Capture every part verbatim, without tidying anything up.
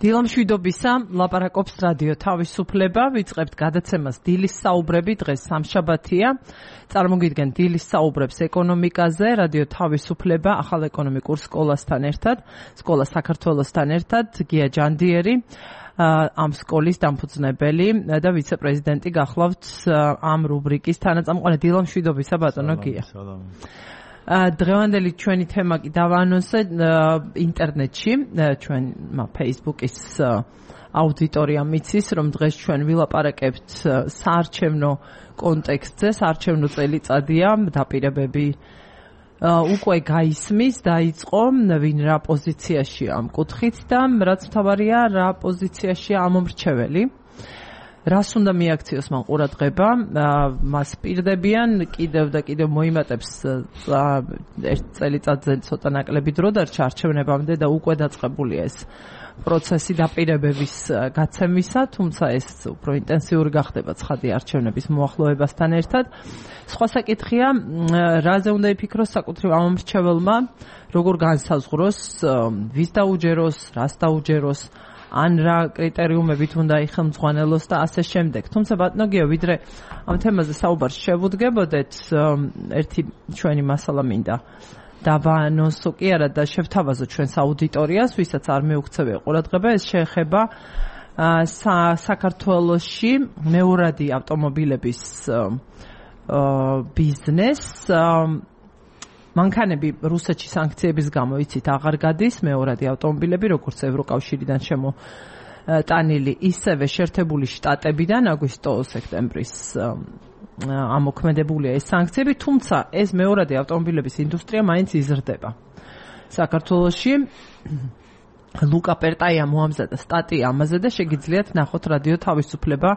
დილამშვიდობისა, ლაპარაკობს რადიო თავისუფლება, ვიწყებთ გადაცემას დილის საუბრები, დღეს სამშაბათია. წარმოგიდგენ დილის საუბრებს ეკონომიკაზე, რადიო თავისუფლება, ახალ ეკონომიკურ სკოლასთან ერთად, სკოლა საქართველოსთან ერთად, გია ჯანდიერი, ამ სკოლის დამფუძნებელი და ვიცე-პრეზიდენტი გახლავთ ამ რუბრიკის თანაწამყვანი. დილამშვიდობისა, ბატონო გია. დღევანდელი ჩვენი თემა კი დავაანონსე ინტერნეტში, ჩვენ Facebook-ის აუდიტორიამ მიცის, რომ დღეს ჩვენ ვილაპარაკებთ საარჩევნო კონტექსტზე, საარჩევნო წელიწადია, დაპირებები უკვე გაისმის, დაიწყო, ვინ რა პოზიციაშია ამ კუთხით და რაც მთავარია, რა პოზიციაშია ამომრჩეველი. რას უნდა მიაქციოს მან ყურადღება, მას პირდებიან, კიდევ და კიდევ მოიმატებს ერთ წელიწადზე ცოტა ნაკლები დრო დარჩა არჩევნებამდე და უკვე დაწყებულია ეს პროცესი დაპირებების გაცემისა, თუმცა ეს უფრო ინტენსიური გახდება ცხადი არჩევნების მოახლოებასთან ერთად. სხვა საკითხია, რაზე უნდა იფიქროს საკუთრივ ამომრჩეველმა, როგორ განსაზღვროს, ვის დაუჯეროს, რას დაუჯეროს, ან რა კრიტერიუმებით უნდა იხელმძღვანელოს და ასე შემდეგ. თუმცა ბატონო გიო, ვიდრე ამ თემაზე საუბარს შევუდგებოდეთ, ერთი ჩვენი მასალა მინდა დავაანონსო კი არა და შევთავაზო ჩვენს აუდიტორიას, ვისაც არ მეუქცევია ყურადღება, ეს შეეხება საქართველოში მეორადი ავტომობილების ბიზნესს. მანქანები რუსეთში სანქციების გამო იცით აღარ გადის, მეორადი ავტომობილები, როგორც ევროკავშირიდან შემოტანილი, ისევე შეერთებული შტატებიდან აგვისტო-სექტემბრის ამოქმედებულია ეს სანქციები, თუმცა ეს მეორადი ავტომობილების ინდუსტრია მაინც იზრდება. საქართველოში ლუკა პერტაია მოამზადა სტატია ამაზე და შეგიძლიათ ნახოთ რადიო თავისუფლება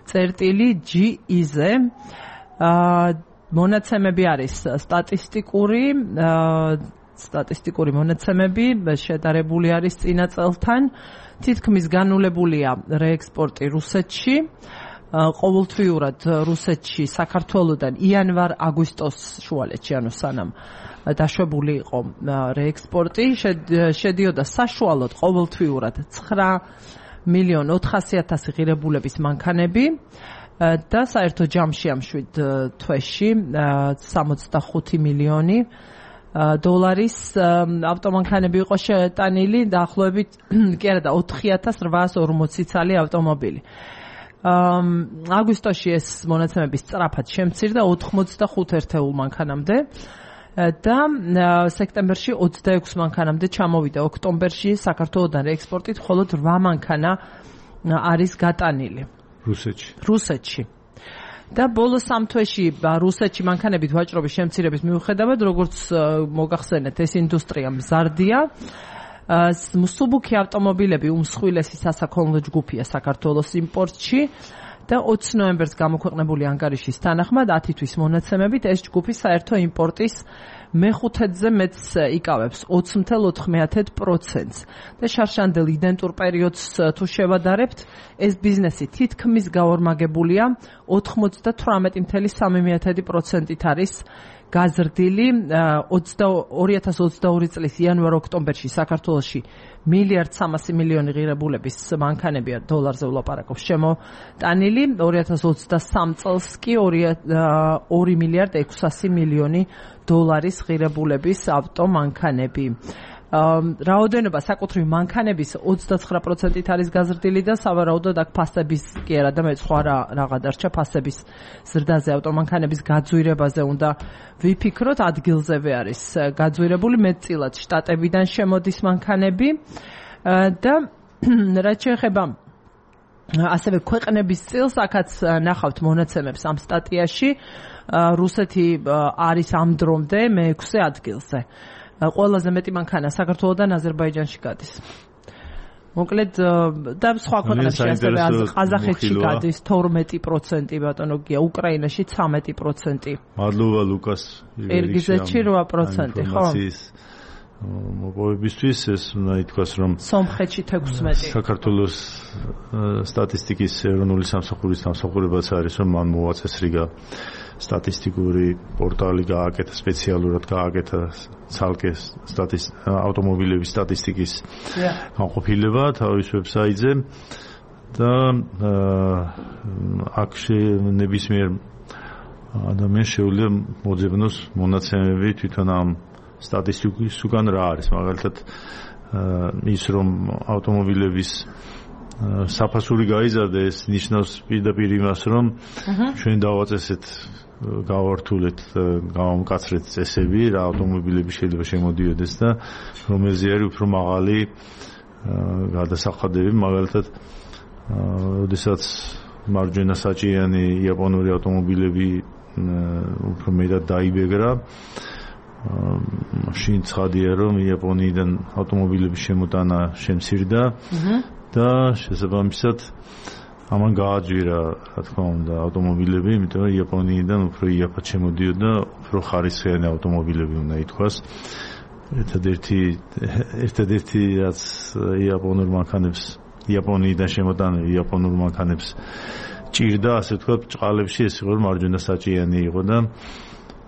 წერტილი ჯი ი-ზე. მონაცემები არის სტატისტიკური, სტატისტიკური მონაცემები შედარებული არის წინა წელთან. თითქმის განულებულია რეექსპორტი რუსეთში. ყოველთვიურად რუსეთში საქართველოდან იანვარ-აგვისტოს შუალედში, ანუ სანამ დაშვებული იყო რეექსპორტი, შედიოდა საშუალოდ ყოველთვიურად ცხრა მილიონი ოთხასი ათასი ღირებულების მანქანები. და საერთო ჯამში ამ შვიდ თვეში სამოცდახუთი მილიონი დოლარის ავტომანქანები იყო შეტანილი, დაახლოებით კი არა და ოთხი ათას რვაას ორმოცი ცალი ავტომობილი. აგვისტოში ეს მონაცემები სწრაფად შემცირდა ოთხმოცდახუთ ერთეულ მანქანამდე და სექტემბერში ოცდაექვსი მანქანამდე ჩამოვიდა. ოქტომბერში საქართველოდან რეექსპორტით მხოლოდ რვა მანქანა არის გატანილი. რუსეთში. რუსეთში. და ბოლო სამ თვეში რუსეთში მანქანებით ვაჭრობის შემცირების მიუხედავად, როგორც მოგახსენეთ, ეს ინდუსტრია მზარდია. მსუბუქი ავტომობილები უმსხვილესი სასაქონლო ჯგუფია საქართველოს იმპორტში და ოცი ნოემბერს გამოქვეყნებული ანგარიშის თანახმად ათი თვის მონაცემებით ეს ჯგუფი საერთო იმპორტის მეხუთედზე მეტს იკავებს ოცი მცდარ ოთხ პროცენტს და შარშანდელ იდენტურ პერიოდს თუ შევადარებთ, ეს ბიზნესი თითქმის გაორმაგებულია ოთხმოცდათვრამეტი მცდარ სამი პროცენტით არის გაზრდილი. ორი ათას ოცდაორი წლის იანვარ-ოქტომბერში საქართველოში მილიარდ სამასი მილიონი ღირებულების მანქანებია, დოლარზე ვლაპარაკობ, შემოტანილი. ორი ათას ოცდასამ წელს კი ორი მილიარდ ექვსასი მილიონი დოლარის ღირებულების ავტომანქანები. რაოდენობა საკუთრივ მანქანების ოცდაცხრა პროცენტით არის გაზრდილი და სავარაუდოდ აქ ფასების კი არა და მე სხვა რაღა დარჩა ფასების ზრდაზე, ავტომანქანების გაძვირებაზე უნდა ვიფიქროთ. ადგილზევე არის გაძვირებული, მეტწილად შტატებიდან შემოდის მანქანები და რაც შეეხება ასევე ქვეყნების წილს, აქაც ნახავთ მონაცემებს ამ სტატიაში. რუსეთი არის ამ დრომდე მეექვსე ადგილზე. ყველაზე მეტი მანქანა საქართველოდან აზერბაიჯანში გადის. მოკლედ და სხვა ქვეყნებში ასევე ყაზახეთში გადის თორმეტი პროცენტი, ბატონო გია, უკრაინაში ცამეტი პროცენტი. მადლობა ლუკას. ყირგიზეთში რვა პროცენტი, ხო? მოპოვებისთვის ეს უნდა ითქვას რომ სომხეთში თექვსმეტი საქართველოს სტატისტიკის ეროვნული სამსახურის სამსახურებაც არის რომ მან მოაწესრიგა სტატისტიკური პორტალი გააკეთა სპეციალურად გააკეთა ცალკე ავტომობილების სტატისტიკის განყოფილება თავის ვებსაიტზე და აქ ნებისმიერ ადამიანს შეუძლია მოძებნოს მონაცემები თვითონ ამ სტატისტიკის უკან რა არის მაგალითად ის რომ ავტომობილების საფასური გაიზარდა ეს ნიშნავს პირდაპირ იმას რომ ჩვენ დავაწესეთ გავართულეთ გავამკაცრეთ წესები რა ავტომობილები შეიძლება შემოდიოდეს და რომელზე არის უფრო მაღალი გადასახადები მაგალითად როდესაც მარჯვენა საჭირიანი იაპონური ავტომობილები უფრო მეტად დაიბეგრა მაშინ ცხადია რომ იაპონიიდან ავტომობილების შემოტანა შემცირდა და შესაბამისად ამან გააძვირა რა თქმა უნდა ავტომობილები იმიტომ რომ იაპონიიდან უფრო იაფად შემოდიოდა უფრო ხარისხიანი ავტომობილები უნდა ითქვას ერთადერთი ერთადერთი რაც იაპონურ მანქანებს იაპონიიდან შემოტანილი იაპონურ მანქანებს ჭირდა ასე ვთქვათ ჭყალებში ეს იყო რომ მარჯვენა საჭიანი იყო და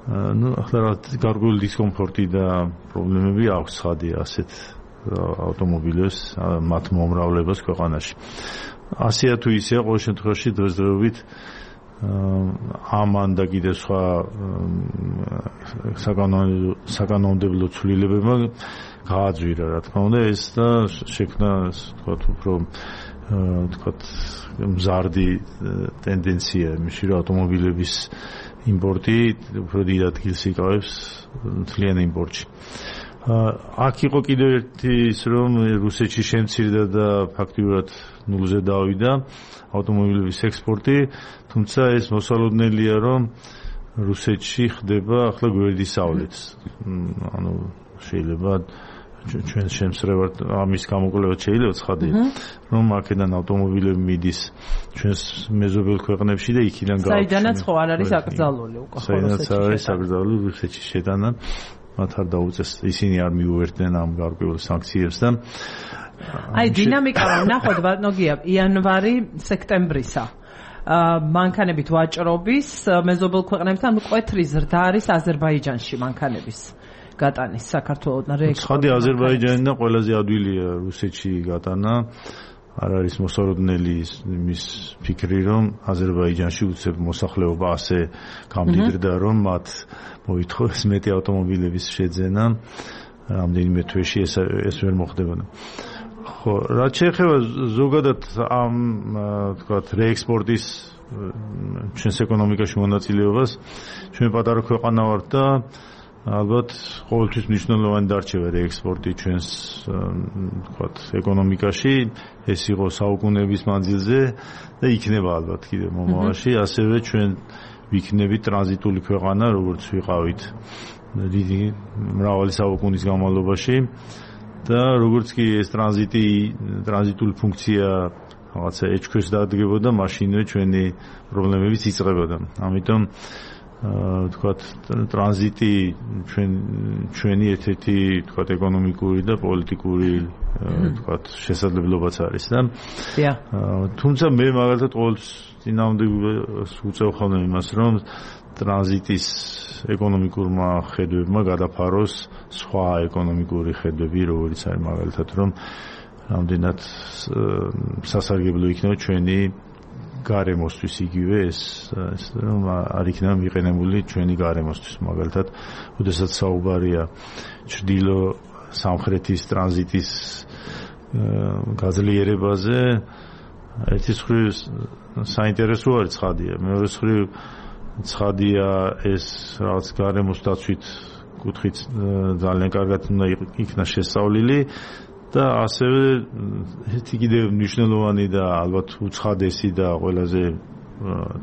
ну ახლა გარკვეული დისკომფორტი და პრობლემები აქვს ცხადია ასეთ ავტომობილებს მათ მომრავლებას ქვეყანაში ასეა თუ ისეა ყოველ შემთხვევაში დღესდღეობით ამან და კიდევ სხვა საკანონმდებლო ცვლილებებმა გააძვირა რა თქმა უნდა ეს და შექმნა ვთქვათ უფრო ვთქვათ მზარდი ტენდენცია იმაში რომ ავტომობილების იმპორტი უფრო დიდ ადგილს იკავებს მთლიან იმპორტში აქ იყო კიდევ ერთი ის რომ რუსეთში შემცირდა და ფაქტიურად ნულზე დავიდა ავტომობილების ექსპორტი თუმცა ეს მოსალოდნელია რომ რუსეთში ხდება ახლა გვერდის სავლით ანუ შეიძლება ჩვენ შემსრევად ამის გამოკვლევა შეიძლება ცხადია რომ აქედან ავტომობილები მიდის ჩვენს მეზობელ ქვეყნებში და იქიდან გააქვს საიდანაც ხო არ არის აკრძალული უკვე საიდანაც არის აკრძალული რუსეთში შეტანა მათ არ დაუწეს ისინი არ მიუერთდნენ ამ გარკვეულ სანქციებს და აი დინამიკა ნახოთ ბატონოგია იანვარი სექტემბრისა მანქანებით ვაჭრობის მეზობელ ქვეყნებთან მკვეთრი ზრდა არის აზერბაიჯანში მანქანების გატანის საქართველოსთან რეექსპორტი. ცხადი აზერბაიჯანი და ყველაზე ადვილია რუსეთში გატანა. არ არის მოსალოდნელი იმის ფიქრი, რომ აზერბაიჯანში უცებ მოსახლეობა ასე გამდიდრდა, რომ მათ მოითხოვეს მეტი ავტომობილების შეძენა. რამდენიმე თვეში ეს ეს ვერ მოხდებოდა. ხო, რაც შეეხება ზოგადად ამ თქვათ რეექსპორტის ჩვენს ეკონომიკაში მონაწილეობას, ჩვენ პატარა ქვეყანა ვართ და ალბათ ყოველთვის მნიშვნელოვანი დარჩება რეექსპორტი ჩვენს თქვათ ეკონომიკაში, ეს იყო საუკუნეების მანძილზე და იქნება ალბათ კიდევ მომავალში, ასევე ჩვენ ვიქნებით ტრანზიტული ქვეყანა, როგორც ვიყავით დიდი მრავალი საუკუნის განმავლობაში და როგორც კი ეს ტრანზიტი ტრანზიტული ფუნქცია რაღაცა ეჭქვეშ დადგებოდა, მაშინვე ჩვენი პრობლემებიც იწყებოდა. ამიტომ თქვათ ტრანზიტი ჩვენ ჩვენი ერთ-ერთი თქვათ ეკონომიკური და პოლიტიკური თქვათ შესაძლებლობაც არის და თუმცა მე მაგალითად ყოველთვის წინააღმდეგობას უწევ ხოლმე იმას რომ ტრანზიტის ეკონომიკურმა ხედვებმა გადაფაროს სხვა ეკონომიკური ხედვები როგორიც არის მაგალითად რომ რამდენად სასარგებლო იქნება ჩვენი გარემოსთვის იგივე ეს რომ არ იქნება მიყენებული ჩვენი გარემოსთვის მაგალითად ოდესაც საუბარია ჩრდილო სამხრეთის ტრანზიტის გაძლიერებაზე ერთი მხრივ საინტერესო არის ცხადია მეორე მხრივ ცხადია ეს რაღაც გარემოს დაცვით კუთხით ძალიან კარგად უნდა იქნა შესწავლილი და ასევე ერთი კიდევ მნიშვნელოვანი და ალბათ უცხადესი და ყველაზე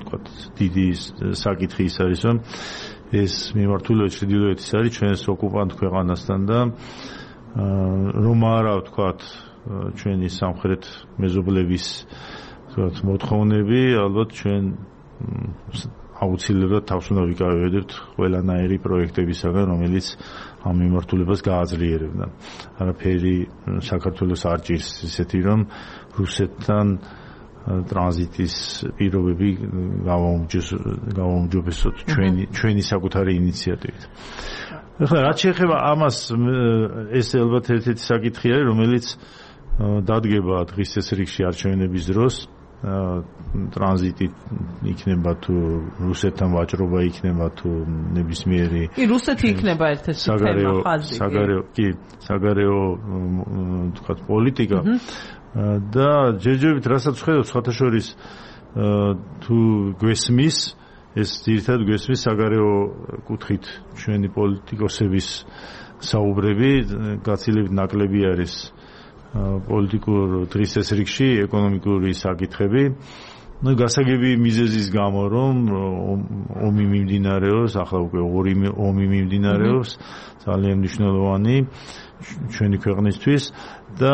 თქვათ დიდი საკითხი ის არის რომ ეს მიმართულება ჩრდილოეთის არის ჩვენს ოკუპანტ ქვეყანასთან და რომ არა თქვათ ჩვენი სამხრეთ მეზობლების თქვათ მოთხოვნები ალბათ ჩვენ აუცილებლად თავს უნდა ვიკავებდეთ ყველანაირი პროექტებისაგან, რომელიც ამ მიმართულებას გააძლიერებდა. არაფერი საქართველოს არ ჭირს ისეთი, რომ რუსეთთან ტრანზიტის პირობები გავაუმჯობესოთ ჩვენი ჩვენი საკუთარი ინიციატივით. ახლა რაც შეეხება ამას, ეს ალბათ ერთ-ერთი საკითხი არის, რომელიც დადგება დღის წესრიგში არჩევნების დროს. ტრანზიტი იქნება თუ რუსეთთან ვაჭრობა იქნება თუ ნებისმიერი კი რუსეთი იქნება ერთ-ერთი თემა ხაზი საგარეო კი საგარეო თქვა პოლიტიკა და ჯერჯერობით რასაც ხედავთ სხვათა შორის თუ გვესმის ეს ძირითადად გვესმის საგარეო კუთხით ჩვენი პოლიტიკოსების საუბრები გაცილებით ნაკლები არის პოლიტიკურ დღის წესრიგში ეკონომიკური საკითხები. Ну, გასაგები მიზეზის გამო, რომ ომი მიმდინარეობს, ახლა უკვე ორი ომი მიმდინარეობს, ძალიან მნიშვნელოვანი ჩვენი ქვეყნისთვის და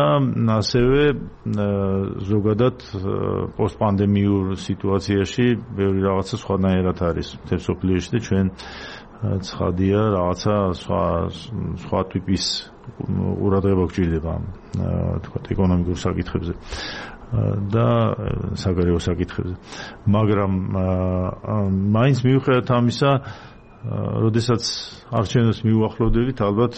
ასევე ზოგადად პოსტპანდემიურ სიტუაციაში ბევრი რაღაცა სხვანაირად არის მთელ სოფლიოში და ჩვენ ცხადია რაღაცა სხვა სხვა ტიპის ყურადღება გვჭირდება თქვა ეკონომიკურ საკითხებზე და საგარეო საკითხებზე. მაგრამ მაინც მიუხედავად ამისა, როდესაც არჩევნებს მიუახლოვდებით, ალბათ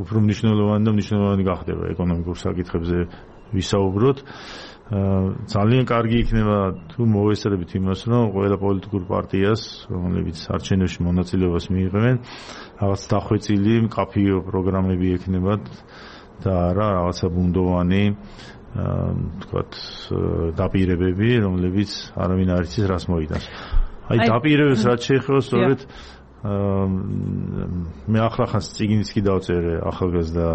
უფრო მნიშვნელოვანი და მნიშვნელოვანი გახდება ეკონომიკურ საკითხებზე ვისაუბროთ. ძალიან კარგი იქნება თუ მოვესწრებით იმას, რომ ყველა პოლიტიკურ პარტიას, რომლებიც არჩევნებში მონაწილეობას მიიღებენ, რაღაც დახვეწილი მკაფიო პროგრამები ექნებათ და არა რაღაცა ბუნდოვანი თქვათ დაპირებები, რომლებიც არავინ არ იცის რას მოიტანს. აი დაპირებებს რაც შეეხება სწორედ მე ახლახანს წიგნიც კი დავწერე ახალგაზრდა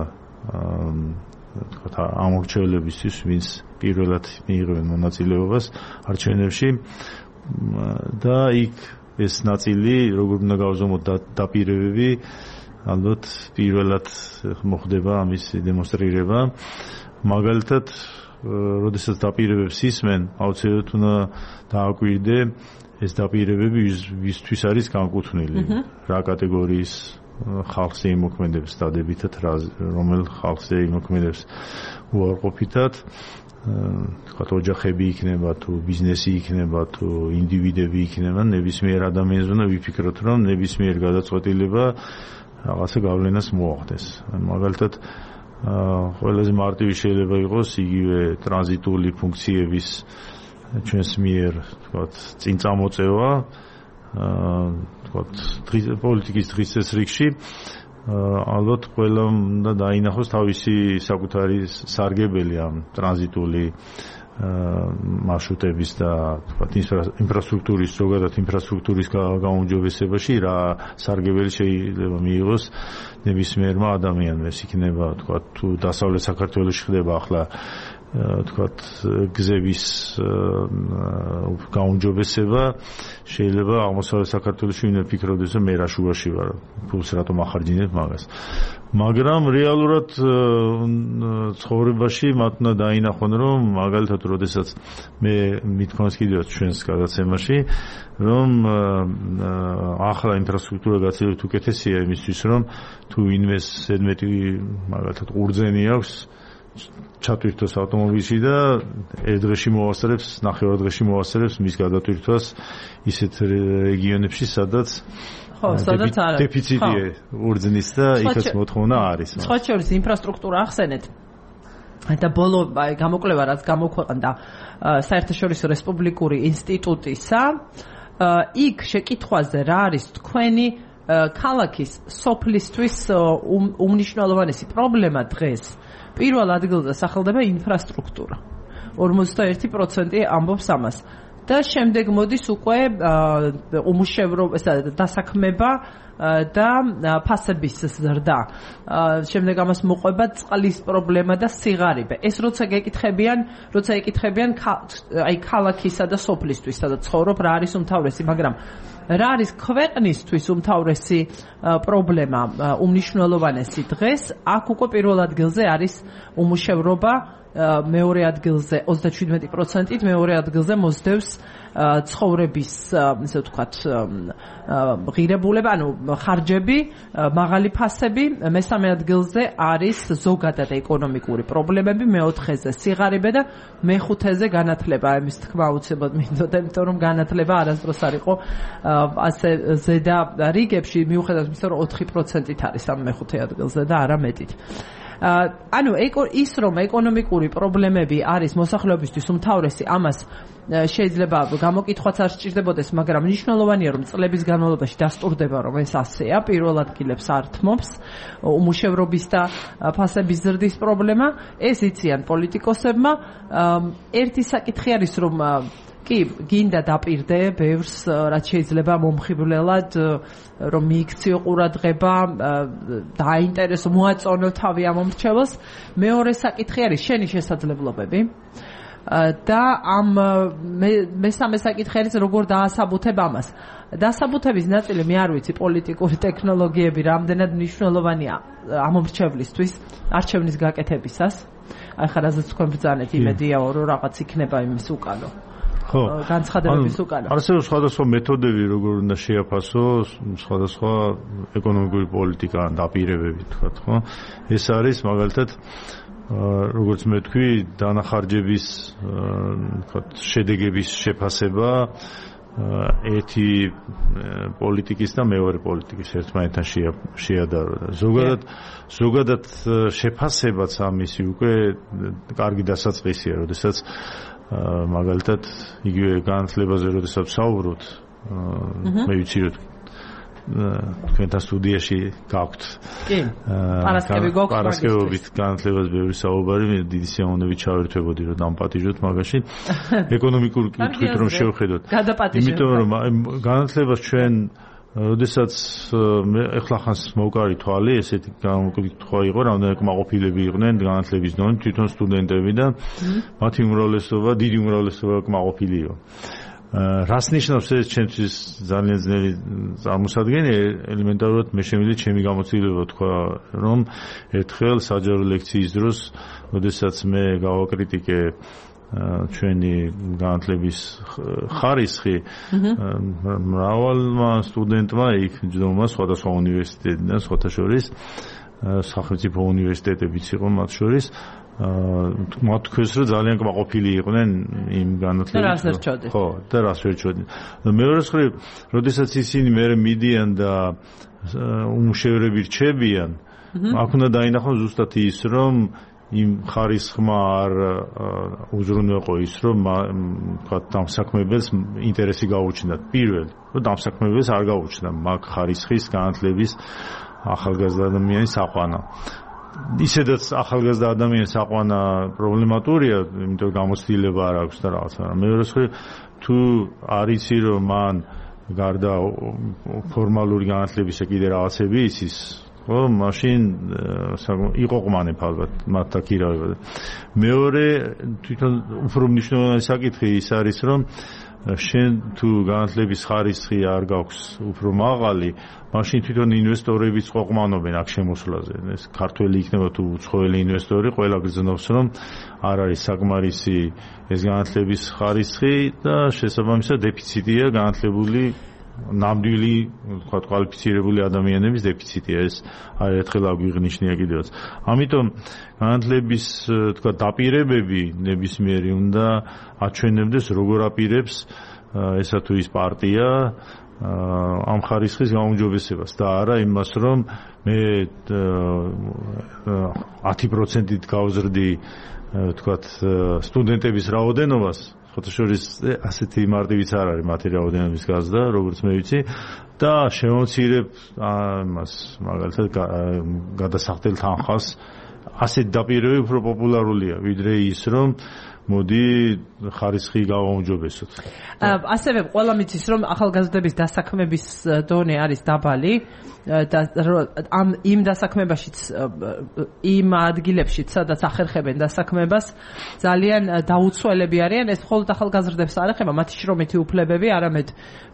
თქვათ ამორჩევლებისთვის, ვინც პირველად მიიღებენ მონაწილეობას არჩევნებში და იქ ეს ნაწილი როგორ უნდა გავზომოთ დაპირებები, ალბათ პირველად მოხდება ამის დემონსტრირება. მაგალითად, როდესაც დაპირებებს ისმენ, აუცილებლად უნდა დააკვირდე ეს დაპირებები ვისთვის არის განკუთვნილი, რა კატეგორიის ხალხს იმოქმედებს დადებითად, რომელ ხალხს იმოქმედებს უარყოფითად, თქვათ ოჯახები იქნება თუ ბიზნესი იქნება თუ ინდივიდები იქნება, ნებისმიერ ადამიანს უნდა ვიფიქროთ, რომ ნებისმიერ გადაწყვეტილება რაღაცა გავლენას მოახდენს. მაგალითად ყველაზე მარტივი შეიძლება იყოს იგივე ტრანზიტული ფუნქციების ჩვენს მიერ თქვათ წინ წამოწევა თქვათ პოლიტიკის დღის წესრიგში ალბათ ყველა უნდა დაინახოს თავისი საკუთარი სარგებელი ამ ტრანზიტული მარშრუტების და თქვათ ინფრასტრუქტურის ზოგადად ინფრასტრუქტურის გაუმჯობესებაში რა სარგებელი შეიძლება მიიღოს ნებისმიერმა ადამიანმა. ეს იქნება თქვათ თუ დასავლეთ საქართველოში ხდება ახლა თქვათ გზების გაუმჯობესება, შეიძლება აღმოსავლეთ საქართველოში ვინმე ფიქრობდეს, რომ მე რა შუაში ვარ, ფულს რატომ ახარჯინებ მაგას. მაგრამ რეალურად ცხოვრებაში მათ უნდა დაინახონ, რომ მაგალითად, როდესაც მე მithქვამს კიდევ ჩვენს გადაცემაში, რომ ახლა ინფრასტრუქტურა გაცილებით უკეთესია იმისთვის, რომ თუ ვინმეს ზედმეტი მაგალითად ყურძენი აქვს ჩატვირთოს ავტომობილში და ერთ დღეში მოვასწრებს, ნახევარ დღეში მოვასწრებს მის გადატვირთვას ისეთ რეგიონებში, სადაც ხო, სადაც არის დეფიციტია ყურძნის და იქაც მოთხოვნა არის. სხვა შორის ინფრასტრუქტურა ახსენეთ. და ბოლო გამოკვლევა რაც გამოქვეყნდა საერთაშორისო რესპუბლიკური ინსტიტუტისა, იქ შეკითხვაზე რა არის თქვენი ქალაქის სოფლისთვის უმნიშვნელოვანესი პრობლემა დღეს? პირველ ადგილზე სახელდება ინფრასტრუქტურა. ორმოცდაერთი პროცენტი ამბობს ამას. და შემდეგ მოდის უკვე უმუშევრობა, დასაქმება და ფასების ზრდა. შემდეგ ამას მოყვება წყლის პრობლემა და სიღარიბე. ეს როცა გეკითხებიან, როცა ეკითხებიან აი ქალაქისა და სოფლისთვის, სადაც ცხოვრობ, რა არის უმთავრესი, მაგრამ რა არის ქვეყნისთვის უმთავრესი პრობლემა, უმნიშვნელოვანესი დღეს, აქ უკვე პირველ ადგილზე არის უმუშევრობა, მეორე ადგილზე ოცდაშვიდმეტი პროცენტით, მეორე ადგილზე მოსდევს ცხოვრების, ისე ვთქვათ, ღირებულება, ანუ ხარჯები, მაღალი ფასები, მესამე ადგილზე არის ზოგადად ეკონომიკური პრობლემები, მეოთხეზე სიღარიბე და მეხუთეზე განათლება. ამის თქმა უცებად მინდოდა, იმიტომ რომ განათლება არასდროს არ იყო ასე ზედა რიგებში, მიუხედავად იმისა, რომ ოთხი პროცენტით არის ამ მეხუთე ადგილზე და არა მეტით. ანუ ის რომ ეკონომიკური პრობლემები არის მოსახლეობისთვის უმთავრესი, ამას შეიძლება გამოკითხვაც არ სჭირდებოდეს, მაგრამ მნიშვნელოვანია რომ წლების განმავლობაში დასტურდება რომ ეს ასეა, პირველ ადგილებს ართმობს უმუშევრობის და ფასების ზრდის პრობლემა, ეს იციან პოლიტიკოსებმა. ერთი საკითხი არის რომ კი, გინდა დაპირდე ბევრს, რაც შეიძლება მომხიბვლელად, რომ მიიქციო ყურადღება, დააინტერესო, მოაწონო თავი ამ მომრჩეველს. მეორე საკითხი არის შენი შესაძლებლობები და ამ მესამე საკითხი არის როგორ დაასაბუთებ ამას. დასაბუთების ნაწილი მე არ ვიცი, პოლიტიკური ტექნოლოგიები რამდენად მნიშვნელოვანია ამ მომრჩევლისთვის არჩევნის გაკეთებისას. აი ხა რაზეც თქვენ ბრძანეთ, იმედია რომ რაღაც იქნება იმის უკანო. ხო, განცხადებების უკან. არსებობს სხვადასხვა მეთოდები, როგორ უნდა შეაფასოს სხვადასხვა ეკონომიკური პოლიტიკა დაპირებები, თქვათ, ხო? ეს არის მაგალითად, როგორც მე თქვი, დანახარჯების, თქვათ, შედეგების შეფასება ერთი პოლიტიკის და მეორე პოლიტიკის ერთმანეთთან შეადარო. ზოგადად, ზოგადად შეფასებაც ამისი უკვე კარგი დასაწყისია, როდესაც მაგალითად იგივე განათლებაზე როდესაც ვსაუბრობთ, მე ვიცი რომ თქვენთან სტუდიაში გაქვთ. კი. პარასკევი გვაქვს. პარასკევობით განათლებაზე ბევრი საუბარი, მე დიდი სიამოვნებით ჩავერთვებოდი რომ დამპატიჟოთ მაგაში. ეკონომიკურ კითხვით რომ შევხედოთ. იმიტომ რომ განათლებას ჩვენ როდესაც მე ახლა ხანს მოვკარი თვალი, ესეთი გამოკითხვა იყო, რამდენი კმაყოფილები იყვნენ განათლების დონით, თვითონ სტუდენტები და მათი უმრავლესობა, დიდი უმრავლესობა კმაყოფილი იყო. რას ნიშნავს ეს ჩემთვის ძალიან ძნელი წარმოსადგენია, ელემენტარულად მე შემიძლია ჩემი გამოცდილება თქვა, რომ ერთხელ საჯარო ლექციის დროს, როდესაც მე გავაკრიტიკე ჩვენი განათლების ხარისხი, მრავალმა სტუდენტმა იქ ჯდომა სხვადასხვა უნივერსიტეტიდან, სხვათა შორის სახელმწიფო უნივერსიტეტებიც იყო მათ შორის, მათ თქვეს რომ ძალიან კმაყოფილი იყვნენ იმ განათლებით. ხო, და რას ვერ ჩოდნენ. მეორე მხრივ, როდესაც ისინი მე მიდიან და უმუშევრები რჩებიან, აქ უნდა დაინახონ ზუსტად ის, რომ იმ ხარისხმა არ უზრუნველყო ის, რომ თქვათ დამსაქმებელს ინტერესი გაუჩნდათ. პირველი, რომ დამსაქმებელს არ გაუჩნდა მაგ ხარისხის განათლების ახალგაზრდა ადამიანის აყვანა. ისედაც ახალგაზრდა ადამიანის აყვანა პრობლემატურია, იმიტომ გამოცდილება არ აქვს და რაღაცა. მეორე მხრივ, თუ არიცი რომ მან გარდა ფორმალური განათლებისა კიდე რაღაცები იცის, ხო, მაშინ იყო ყმანებ ალბათ მათ დაქირავება. მეორე, თვითონ უფრო მნიშვნელოვანი საკითხი ის არის, რომ შენ თუ განათლების ხარისხი არ გაქვს უფრო მაღალი, მაშინ თვითონ ინვესტორებიც ყოყმანობენ აქ შემოსვლაზე. ეს ქართველი იქნება თუ უცხოელი ინვესტორი, ყველა გრძნობს, რომ არ არის საკმარისი ეს განათლების ხარისხი და შესაბამისად დეფიციტია განათლებული ნამდვილი, თქვა კვალიფიცირებული ადამიანების დეფიციტია, ეს არ ერთხელ აგვიღნიშნია კიდევაც. ამიტომ განათლების, თქვა, დაპირებები ნებისმიერი უნდა აჩვენებდეს როგორ აპირებს ესა თუ ის პარტია ამ ხარისხის გაუმჯობესებას და არა იმას, რომ მე ათი პროცენტით გავზრდი, თქვა, სტუდენტების რაოდენობას, ხოთა შორის ასეთი მარტივიც არ არის მათი რაოდენობის გაზრდა, როგორც მე ვიცი, და შემოვცირებ ამას, მაგალითად გადასახდელ თანხას. ასეთ დაპირებები უფრო პოპულარულია, ვიდრე ის, რომ მოდი ხარისხი გავაუმჯობესოთ. ასევე ყველა მიცის რომ ახალგაზრდების დასაქმების დონე არის დაბალი და ამ იმ დასაქმებაშიც იმ ადგილებშიც სადაც ახერხებენ დასაქმებას ძალიან დაუცველები არიან ეს მხოლოდ ახალგაზრდებს არ ეხება მათი შრომითი უფლებები არამედ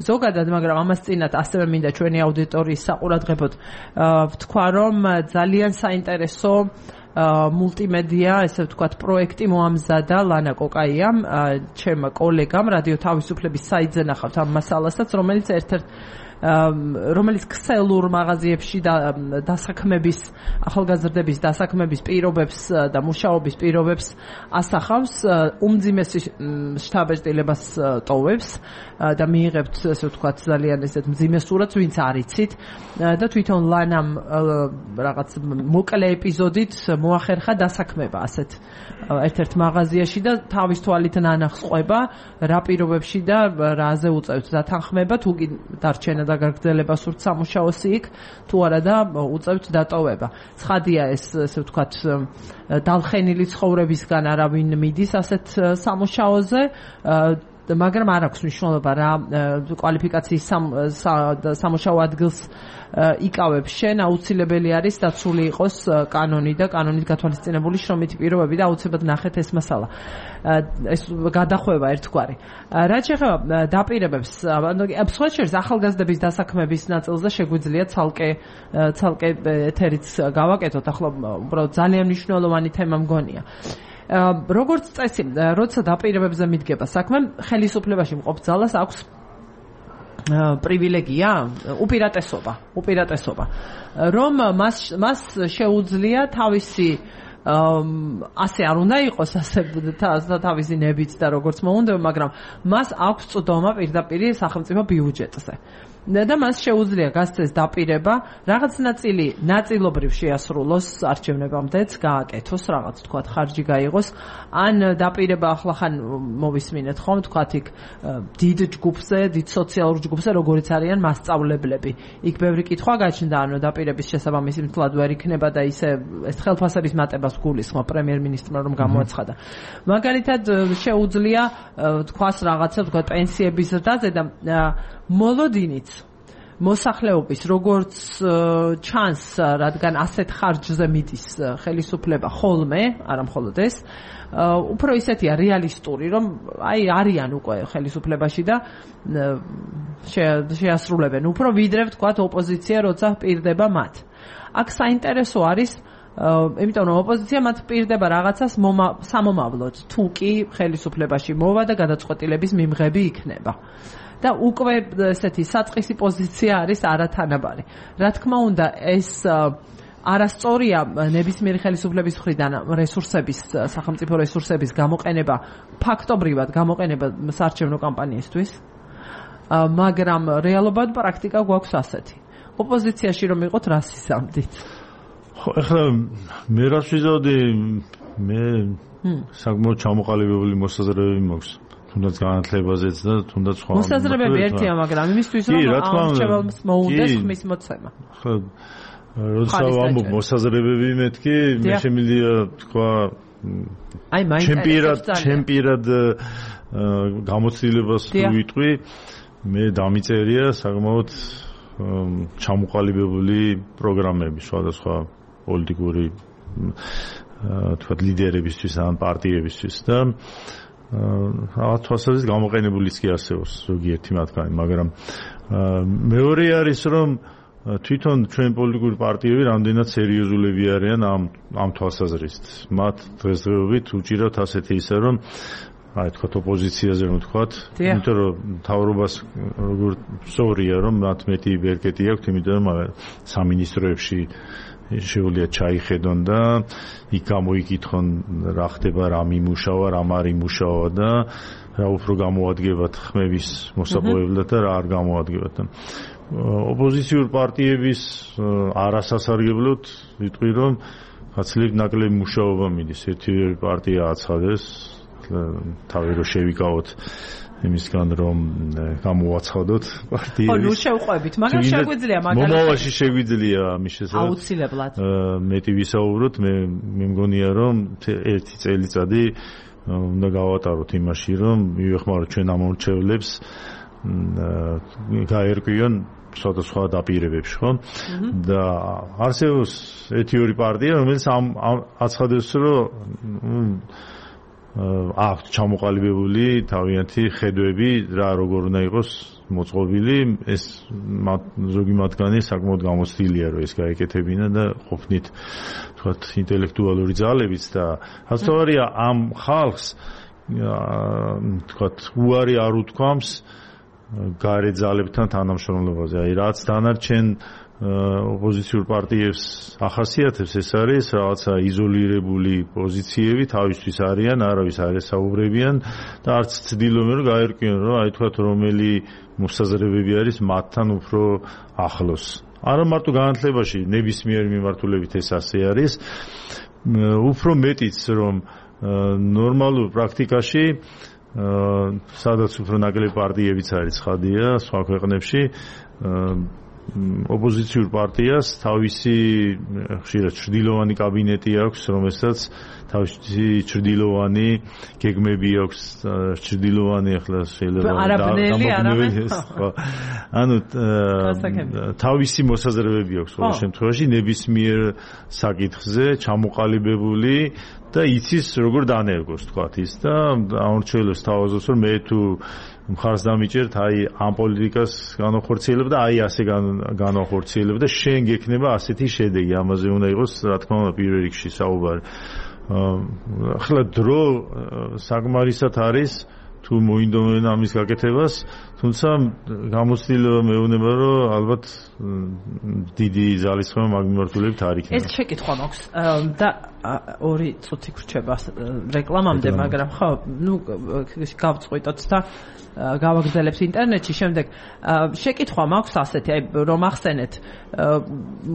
ზოგადად მაგრამ ამას წინათ ასევე მინდა ჩვენი აუდიტორიის საყურადღებოდ ვთქვა რომ ძალიან საინტერესო მულტიმედია, ესე ვთქვათ, პროექტი მოამზადა ლანა კოკაიამ, ჩემ კოლეგამ რადიო თავისუფლების საიტზე ნახავთ ამ მასალასაც, რომელიც ერთ-ერთ რომელიც ქსელურ მაღაზიებში და დასაქმების ახალგაზრდების დასაქმების პირობებს და მუშაობის პირობებს ასახავს, უმძიმესი შთაბეჭდილებას ტოვებს და მიიღებთ, ესე ვთქვათ, ძალიან ესეთ მძიმე სურათს, ვინც არ იცით და თვითონ ლანამ რაღაც მოკლე ეპიზოდით მოახერხა დასაქმება ასეთ ერთ-ერთ მაღაზიაში და თავის თვალით ნანახს ყვება რა პირობებში და რაზე უწევთ დათანხმება თუ კი დარჩენა და გაგრძელება სურთ სამუშაოსი იქ თუ არა და უწევთ დატოვება. ცხადია ეს ესე ვთქვათ დალხენილი ცხოვრებისგან არავინ მიდის ასეთ სამუშაოზე მაგრამ არ აქვს მნიშვნელობა რა კვალიფიკაციის სამუშაო ადგილს იკავებს შენ აუცილებელი არის დაცული იყოს კანონი და კანონით გათვალისწინებული შრომითი პირობები და აუცილებლად ნახეთ ეს მასალა ეს გადახვევა ერთგვარი რაც შეეხება დაპირებებს სხვა შორის ახალგაზრდების დასაქმების ნაწილზე შეგვიძლია ცალკე ცალკე ეთერიც გავაკეთოთ ახლა უბრალოდ ძალიან მნიშვნელოვანი თემა მგონია როგორც წესი, როცა დაპირებებზე მიდგება საქმე, ხელისუფლებაში მყოფ ძალას აქვს პრივილეგია, უპირატესობა, უპირატესობა, რომ მას მას შეუძლია თავისი ასე არ უნდა იყოს ასე თავისი ნებით და როგორც მოუნდება, მაგრამ მას აქვს წვდომა პირდაპირ სახელმწიფო ბიუჯეტზე. და მას შეუძლია გასცეს დაპირება, რაღაც ნაწილი ნაწილობრივ შეასრულოს არჩევნებამდეც, გააკეთოს, რაღაც თქვათ ხარჯი გაიღოს, ან დაპირება ახლა ხან მოვისმინეთ ხომ, თქვათ იქ დიდ ჯგუფზე, დიდ სოციალურ ჯგუფზე, როგორიც არიან მასწავლებლები. იქ ბევრი კითხვა გაჩნდა, ანუ დაპირების შესაბამისი მთლად ვერ იქნება და ისე ეს ხელფასების მატებას გულისხმობ პრემიერ-მინისტრმა რომ გამოაცხადა. მაგალითად შეუძლია თქვას რაღაცა, თქვათ პენსიების ზრდაზე და მოლოდინიც მოსახლეობის როგორც ჩანს, რადგან ასეთ ხარჯზე მიდის ხელისუფლება ხოლმე, არა მხოლოდ ეს, უფრო ისეთია რეალისტური, რომ აი არიან უკვე ხელისუფლებაში და შეასრულებენ უფრო ვიდრე ვთქვათ ოპოზიცია, როცა პირდება მათ. აქ საინტერესო არის იმიტომ რომ ოპოზიცია მათ პირდება რაღაცას სამომავლოდ, თუ კი ხელისუფლებაში მოვა და გადაწყვეტილების მიმღები იქნება. და უკვე ესეთი საწყისი პოზიცია არის არათანაბარი. რა თქმა უნდა, ეს არასწორია ნებისმიერი ხელისუფლების მხრიდან რესურსების, სახელმწიფო რესურსების გამოყენება, ფაქტობრივად გამოყენება საარჩევნო კამპანიისთვის, მაგრამ რეალობად პრაქტიკა გვაქვს ასეთი. ოპოზიციაში რომ იყოთ, რას იზამთით? ხო, ახლა მე რას ვიზავდი, მე საკმაოდ ჩამოყალიბებული მოსაზრებები მაქვს. თუნდაც განათლებაზეც და თუნდაც სხვა მოსაზრებები ერთია, მაგრამ იმისთვის რომ არჩევნებს მოუნდეს ხმის მოცემა. ხო, როცა ვამბობ მოსაზრებები მეთქი, მე შემიძლია თქვა აი ჩემპირად ჩემპირად გამოცდილებას ვიტყვი, მე დამიწერია საკმაოდ ჩამოყალიბებული პროგრამები სხვადასხვა პოლიტიკური თქვა ლიდერებისთვის ან პარტიებისთვის და რაღაც თვალსაზრისით გამოყენებულიც კი არსებობს ზოგიერთი მათგანი, მაგრამ მეორე არის რომ თვითონ ჩვენ პოლიტიკური პარტიები რამდენად სერიოზულები არიან ამ ამ თვალსაზრისით. მათ დღესდღეობით უჭირავთ ასეთი ისე რომ აი თქვა ოპოზიციაზე რომ თქვათ, იმიტომ რომ მთავრობას როგორ სწორია რომ მათ მეტი ბერკეტი აქვს, იმიტომ რომ სამინისტროებში შეუძლია ჩაიხედონ და იქ გამოიკითხონ რა ხდება, რა მიმუშავა, რა არ იმუშავა და რა უფრო გამოადგებათ ხმების მოსაპოვებლად და რა არ გამოადგებათ. ოპოზიციურ პარტიების არასასარგებლოდ ვიტყვი რომ გაცილებით ნაკლები მუშაობა მიდის. ერთი პარტია აცხადეს თავი რომ შევიკავოთ იმისგან რომ გამოვაცხადოთ პარტიებს. ხო, ნუ შევყვებით, მაგრამ შეგვიძლია მაგალითად. მომავალში შეგვიძლია ამის შესაძლებლად. აუცილებლად. მეტი ვისაუბროთ, მე მე მგონია რომ ერთი წელიწადი უნდა გავატაროთ იმაში, რომ მივეხმაროთ ჩვენ ამორჩევლებს გაერკვიონ სხვადასხვა დაპირებებში, ხო? და არსებობს ერთი ორი პარტია, რომელიც ამ აცხადებს, რომ აქვთ ჩამოყალიბებული თავიანთი ხედვები, რა როგორ უნდა იყოს მოწყობილი, ეს ზოგი მათგანი საკმაოდ გამოცდილია, რომ ეს გაეკეთებინა და ყოფნით თქვათ ინტელექტუალური ძალებით და ასწორია ამ ხალხს თქვათ უარი არ უთქვამს გარე ძალებთან თანამშრომლობაზე. აი რაც დანარჩენ ოპოზიციურ პარტიებს ახასიათებს, ეს არის რაღაცა იზოლირებული პოზიციები, თავისთვის არიან, არავის არ ესაუბრებიან და არც ცდილობენ რომ გაერკვიონ, რომ აი თქვათ რომელი მოსაზრებები არის მათთან უფრო ახლოს. არა მარტო განათლებაში, ნებისმიერ მიმართულებით ეს ასე არის, უფრო მეტიც რომ ნორმალურ პრაქტიკაში სადაც უფრო ნაკლები პარტიებიც არის ცხადია სხვა ქვეყნებში ოპოზიციურ პარტიას თავისი ხშირად ჩრდილოვანი კაბინეტი აქვს, რომელსაც თავისი ჩრდილოვანი გეგმები აქვს, ჩრდილოვანი ახლა შეიძლება არაბნელი ანუ თავისი მოსაზრებები აქვს ყოველ შემთხვევაში ნებისმიერ საკითხზე ჩამოყალიბებული და იცის როგორ დანერგოს თქვათ ის და ამორჩევლებს თავაზობს რომ მე თუ მხარს დამიჭერთ აი ამ პოლიტიკას განახორციელებ და აი ასე განახორციელებ და შენ გექნება ასეთი შედეგი ამაზე უნდა იყოს რა თქმა უნდა პირველ რიგში საუბარი ახლა დრო საკმარისად არის თუ მოინდომენ ამის გაკეთებას თუმცა გამოცდილება მეუბნება რომ ალბათ დიდი ძალისხმევა მაგ მიმართულებით არ იქნება ეს შეკითხვა მაქვს და ორი წუთი გრჩება რეკლამამდე მაგრამ ხო ნუ გავწყვიტოთ და გავაგრძელებთ ინტერნეტში შემდეგ შეკითხვა მაქვს ასეთი აი რომ ახსენეთ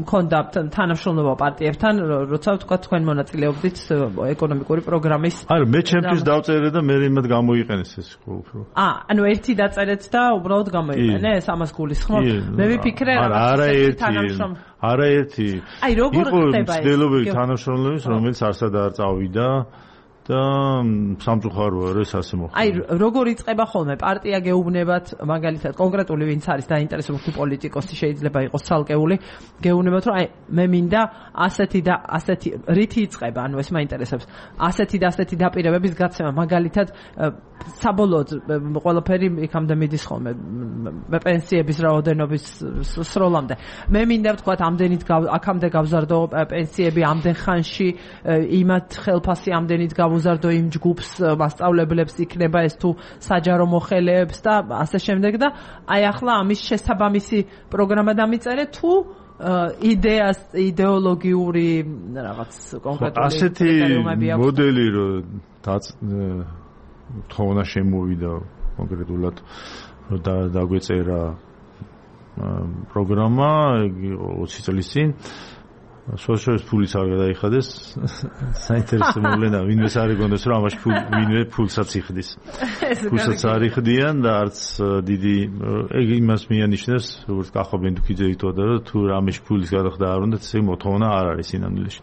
მქონდა თანამშრომლობა პარტიებთან როცა თქვა თქვენ მონაწილეობდით ეკონომიკური პროგრამის არა მე ჩემთვის დავწერე და მე იმად გამოიყენეს ეს უფრო აა ანუ ერთი დაწერეთ და უბრალოდ გამოიყენეს ამას გულისხმობ მე ვიფიქრე არა ერთი არა ერთი აი როგორ ხდება ეს ცდილობები თანამშრომლობის რომელიც არსად არ წავიდა და სამწუხაროა რომ ეს ასე მოხდა. აი როგორ იწყება ხოლმე პარტია გეუბნებათ მაგალითად კონკრეტული ვინც არის დაინტერესებული პოლიტიკოსი შეიძლება იყოს ცალკეული გეუბნებათ რომ აი მე მინდა ასეთი და ასეთი რითი იწყება ანუ ეს მაინტერესებს ასეთი და ასეთი დაპირებების გაცემა მაგალითად საბოლოოდ ყველაფერი იქამდე მიდის ხოლმე პენსიების რაოდენობის სროლამდე მე მინდა ვთქვათ ამდენით აქამდე გავზარდო პენსიები ამდენ ხანში იმათ ხელფასი ამდენით გავუზარდო იმ ჯგუფს მასწავლებლებს იქნება ეს თუ საჯარო მოხელეებს და ასე შემდეგ და აი ახლა ამის შესაბამისი პროგრამა დამიწერე თუ იდეას იდეოლოგიური რაღაც კონკრეტული ასეთი მოდელი რომ თხოვნა შემოვიდა კონკრეტულად და დაგვეწერა პროგრამა ოცი წლის წინ სოციალისტ ფულიც არ გადაიხადეს საინტერესო მოვლენა ვინმეს არ ეგონდეს რომ ამაში ვინმე ფულსაც იხდის ფულსაც არ იხდიან და არც დიდი ეგ იმას მიანიშნებს როგორც კახაბენ თუქიძე იტყოდა რომ თუ რამეში ფულის გადახდა არ უნდა ესე მოთხოვნა არ არის სინამდვილეში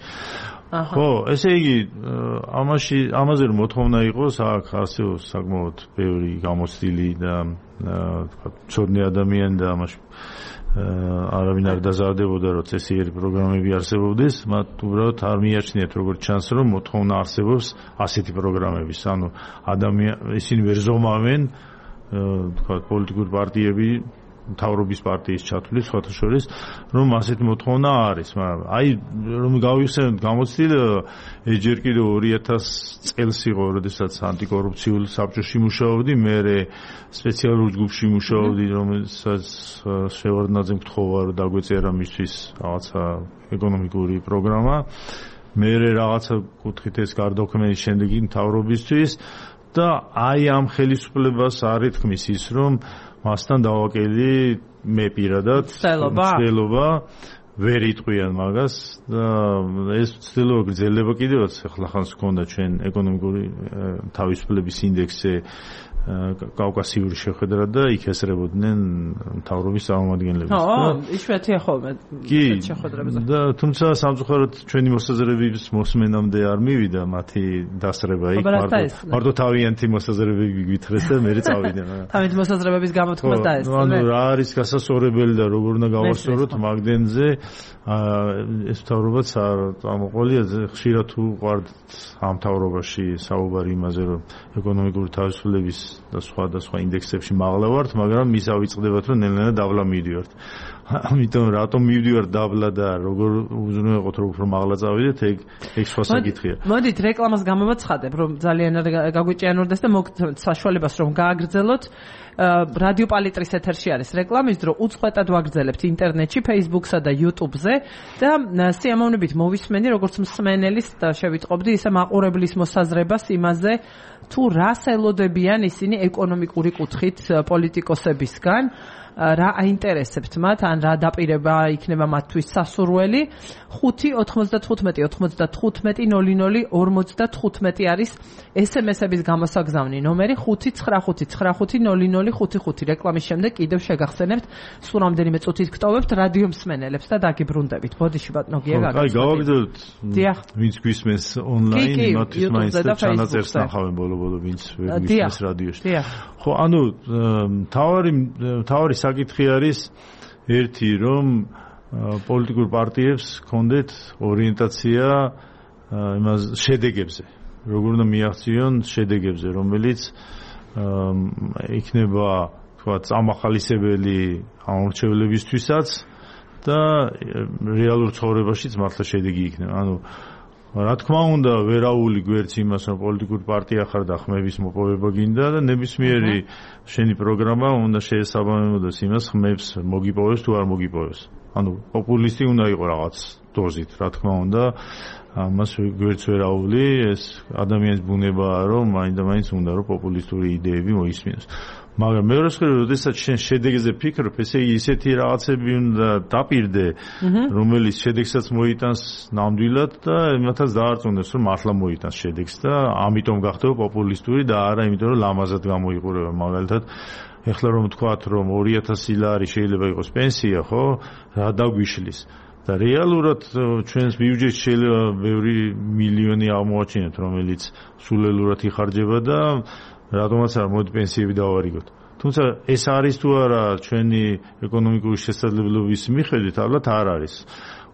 ხო ესე იგი ამაში ამაზე რომ მოთხოვნა იყოს აქ არსებობს საკმაოდ ბევრი გამოცდილი და თქვა ცოდნე ადამიანი და ამაში არავინ არ დაზარდებოდა რომ წესიერი პროგრამები არსებობდეს მათ უბრალოდ არ მიაჩნიათ როგორც ჩანს რომ მოთხოვნა არსებობს ასეთი პროგრამების ანუ ადამიანი ისინი ვერ ზომავენ თქვა პოლიტიკური პარტიები მთავრობის პარტიის ჩათვლით სხვათა შორის რომ ასეთი მოთხოვნა არის მაგრამ აი რომ გავიხსენოთ გამოცდილება ეს ჯერ კიდევ ორი ათასი წელს იყო როდესაც ანტიკორუფციულ საბჭოში მუშაობდი მე სპეციალურ ჯგუფში მუშაობდი რომელსაც შევარდნაძე გთხოვა რომ დაგვეწერა მისთვის რაღაცა ეკონომიკური პროგრამა მე რაღაცა კუთხით ეს გარდაქმნის შემდეგი მთავრობისთვის და აი ამ ხელისუფლებას არ ეთქმის ის რომ მასთან დავაკელი მე პირადად ცდილობა ვერ იტყვიან მაგას და ეს ცდილობა გრძელდება კიდევაც ახლა ხანს გქონდა ჩვენ ეკონომიკური თავისუფლების ინდექსზე კავკასიური შეხვედრა და იქ ესწრებოდნენ მთავრობის წარმომადგენლებს. ხო, იშვიათია ხოლმე შეხვედრებზე. და თუმცა სამწუხაროდ ჩვენი მოსაზრებების მოსმენამდე არ მივიდა მათი დასწრება იქ მარტო თავიანთი მოსაზრებები გვითხრეს და მე წავიდნენ. თავიანთი მოსაზრებების გამოთქმას დაესწრო. ანუ რა არის გასასწორებელი და როგორ უნდა გავასწოროთ მაგდენზე ეს მთავრობაც არ წამოყოლია ხშირად უყვართ ამ მთავრობაში საუბარი იმაზე რომ ეკონომიკური თავისუფლების და სხვა და სხვა ინდექსებში მაღლა ვართ, მაგრამ ის ავიწყდებათ რომ ნელ-ნელა დაბლა მივდივართ. ამიტომ რატომ მივდივართ დაბლა და როგორ უზრუნველყოთ რომ უფრო მაღლა წავიდეთ, ეგ ეგ სხვა საკითხია. მოდით რეკლამას გამოვაცხადებ, რომ ძალიან გაგვიჭიანურდეს და მოგთ საშუალებას რომ გააგრძელოთ. რადიო პალიტრის ეთერში არის რეკლამის დრო, უწყვეტად ვაგრძელებთ ინტერნეტში, Facebook-სა და YouTube-ზე და სიამოვნებით მოვისმენი, როგორც მსმენელის და შევიტყობდი ისე მაყურებლის მოსაზრებას იმაზე, თუ რას ელოდებიან ისინი ეკონომიკური კუთხით პოლიტიკოსებისგან, რა აინტერესებთ მათ, ან რა დაპირება იქნება მათთვის სასურველი. ხუთი ოთხმოცდათხუთმეტი ოცდათხუთმეტი ნული ნული ორმოცდათხუთმეტი არის ეს ემ ესების გამოსაგზავნი ნომერი ხუთი ცხრა ხუთი ცხრა ხუთი ნული ნული ხუთი ხუთი. რეკლამის შემდეგ კიდევ შეგახსენებთ, სულ რამდენიმე წუთით გტოვებთ რადიო მსმენელებს და დაგიბრუნდებით. ბოდიში ბატონო გია გაგაცნობთ. აი, გავაგრძელოთ. ვინც გვისმენს ონლაინ, იმათთვის მაინც ჩანაწერს ნახავენ ბოლო-ბოლო, ვინც ვერ გვისმენს რადიოში. ხო, ანუ თავარი თავარი საკითხი არის ერთი, რომ პოლიტიკურ პარტიებს ჰქონდეთ ორიენტაცია იმას შედეგებზე, როგორ უნდა მიაღწიონ შედეგებზე, რომელიც იქნება თქვა წამახალისებელი ამორჩევლებისთვისაც და რეალურ ცხოვრებაშიც მართლა შედეგი იქნება. ანუ რა თქმა უნდა, ვერაული გვერდს იმას, რომ პოლიტიკური პარტია ხარ და ხმების მოპოვება გინდა და ნებისმიერი შენი პროგრამა უნდა შეესაბამებოდეს იმას, ხმებს მოგიპოვებს თუ არ მოგიპოვებს. ანუ პოპულისტი უნდა იყოს რაღაც დოზით, რა თქმა უნდა, ამას გვერდს ვერაული, ეს ადამიანის ბუნებაა, რომ მაინდა-მაინც უნდა რომ პოპულისტური იდეები მოისმინოს. მაგრამ მეორე მხრივ, როდესაც შენ შედეგზე ფიქრობ, ესე იგი ისეთი რაღაცები უნდა დაპირდე, რომელიც შედეგსაც მოიტანს ნამდვილად და იმათაც დაარწმუნდეს, რომ მართლა მოიტანს შედეგს და ამიტომ გახდება პოპულისტური და არა იმიტომ, რომ ლამაზად გამოიყურება. მაგალითად, ეხლა რომ ვთქვათ, რომ ორი ათასი ლარი შეიძლება იყოს პენსია, ხო? რა დაგვიშლის? და რეალურად ჩვენს ბიუჯეტში შეიძლება ბევრი მილიონი აღმოაჩინოთ, რომელიც სულელურად იხარჯება და რატომაც არ მოდი პენსიები დავარიგოთ. თუმცა ეს არის თუ არა ჩვენი ეკონომიკური შესაძლებლობის მიხედვით, ალბათ არ არის.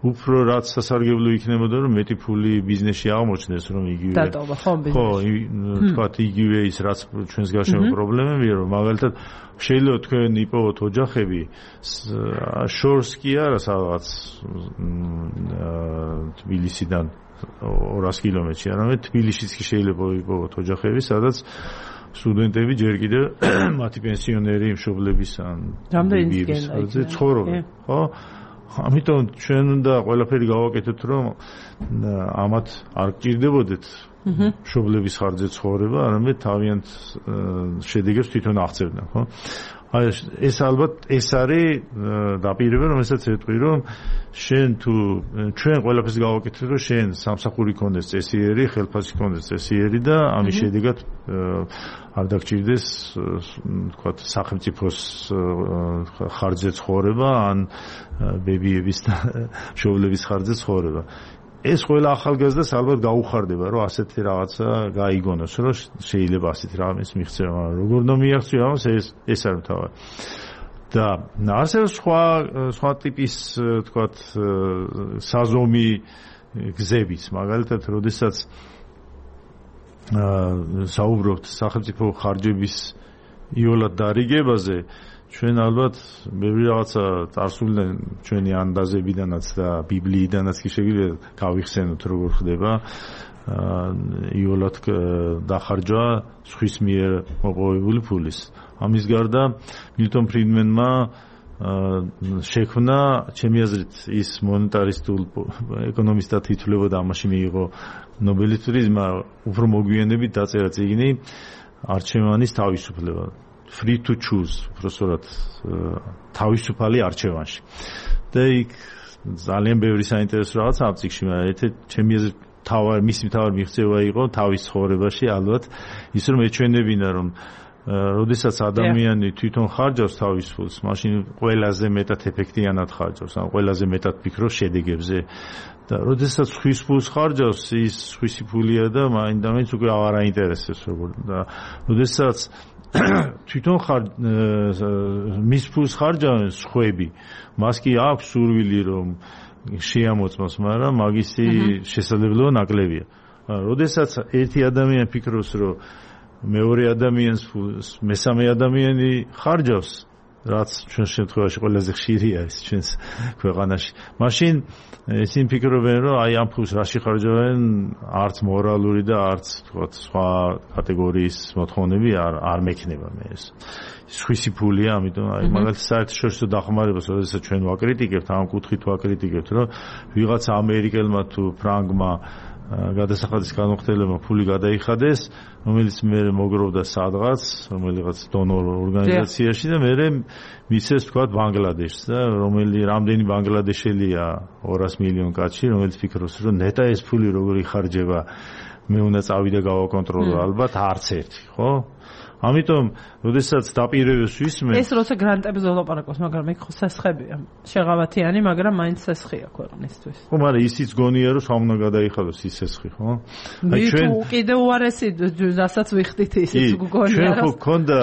უფრო რაც სასარგებლო იქნებოდა, რომ მეტი ფული ბიზნესში აღმოჩნდეს, რომ იგივე დატოვა ხო ბიზნესი. ხო, თქვათ იგივე ის რაც ჩვენს გარშემო პრობლემებია, რომ მაგალითად შეიძლება თქვენ იპოვოთ ოჯახები შორს კი არა სადღაც თბილისიდან ორასი კილომეტრში, არამედ თბილისშიც კი შეიძლება იპოვოთ ოჯახები, სადაც სტუდენტები ჯერ კიდევ მათი პენსიონერი მშობლების ან ბიბის ცხოვრობენ, ხო? ამიტომ ჩვენ უნდა ყველაფერი გავაკეთოთ, რომ ამათ არ გჭირდებოდეთ მშობლების ხარჯზე ცხოვრება, არამედ თავიანთ შედეგებს თვითონ აღწევდნენ, ხო? აი ეს ალბათ ეს არის დაპირება, რომელსაც ეტყვი, რომ შენ თუ ჩვენ ყველაფერს გავაკეთეთ, რომ შენ სამსახური ქონდეს წესიერი, ხელფასი ქონდეს წესიერი და ამის შედეგად არ დაგჭირდეს, თქვათ, სახელმწიფოს ხარჯზე ცხოვრება, ან ბებიების და მშობლების ხარჯზე ცხოვრება. ეს ყველა ახალგაზრდას ალბათ გაუხარდება, რომ ასეთი რაღაცა გაიგონოს, რომ შეიძლება ასეთი რამეს მიღწევა, მაგრამ როგორ უნდა მიაღწიო ამას, ეს ეს არის მთავარი. და ასევე სხვა სხვა ტიპის, თქვათ, საზომი გზებიც, მაგალითად, როდესაც საუბრობთ სახელმწიფო ხარჯების იოლად დარიგებაზე, ჩვენ ალბათ ბევრი რაღაცა წარსულიდან ჩვენი ანდაზებიდანაც და ბიბლიიდანაც კი შეგვიძლია გავიხსენოთ, როგორ ხდება იოლად დახარჯვა სხვის მიერ მოპოვებული ფულის. ამის გარდა მილტონ ფრიდმენმა შექმნა, ჩემი აზრით, ის მონეტარისტულ ეკონომისტად ითვლებოდა, ამაში მიიღო ნობელის პრიზმა, უფრო მოგვიანებით დაწერა წიგნი არჩევანის თავისუფლება. Free to choose, უბრალოდ თავისუფალი არჩევანში. და იქ ძალიან ბევრი საინტერესო რაღაც ამ წიგნში, მაგრამ ერთ-ერთი ჩემი აზრით თავი მისი თავი მიღწევა იყო თავის ცხოვრებაში, ალბათ ის რომ ეჩვენებინა, რომ როდესაც ადამიანი თვითონ ხარჯავს თავის ფულს, მაშინ ყველაზე მეტად ეფექტიანად ხარჯავს, ან ყველაზე მეტად ფიქრობს შედეგებზე. და როდესაც ხვის ფულს ხარჯავს, ის ხვისი ფულია და მაინც უკვე აღარ აინტერესებს როგორ და როდესაც თვითონ ხარ მის ფულს ხარჯავენ სხვები, მას კი აქვს სურვილი რომ შეამოწმოს, მაგრამ მაგისი შესაძლებლობა ნაკლებია. როდესაც ერთი ადამიანი ფიქრობს, რომ მეორე ადამიანს ფულს მესამე ადამიანი ხარჯავს, რაც ჩვენ შემთხვევაში ყველაზე ხშირია ის ჩვენს ქვეყანაში. მაშინ ისინი ფიქრობენ, რომ აი ამ ფულს რაში ხარჯავენ, არც მორალური და არც თქვა სხვა კატეგორიის მოთხოვნები არ არ მექნება მე ეს. სხვისი ფულია, ამიტომ აი მაგალითად საერთაშორისო დახმარებას, როდესაც ჩვენ ვაკრიტიკებთ, ამ კუთხით ვაკრიტიკებთ, რომ ვიღაცა ამერიკელმა თუ ფრანგმა გადასახადის განმხდელმა ფული გადაიხადეს, რომელიც მე მოგროვდა სადღაც, რომელიღაც დონორ ორგანიზაციაში და მე მისცეს თქვა ბანგლადეშს და რომელი რამდენი ბანგლადეშელია ორას მილიონ კაცი, რომელიც ფიქრობს, რომ ნეტა ეს ფული როგორ იხარჯება, მე უნდა წავიდე გავაკონტროლო, ალბათ არც ერთი, ხო? ამიტომ, როდესაც დაპირებებს ვისმენ, ეს როცა გრანტებზე ვლაპარაკობს, მაგრამ იქ ხო სესხებია. შეღავათიანი, მაგრამ მაინც სესხია ქვეყნისთვის. ხო, მაგრამ ისიც გონია, რომ სამ უნდა გადაიხადოს ის სესხი, ხო? აი ჩვენ კიდევ უარესი, რასაც ვიხდით ისიც გგონია. ჩვენ ხო გქონდა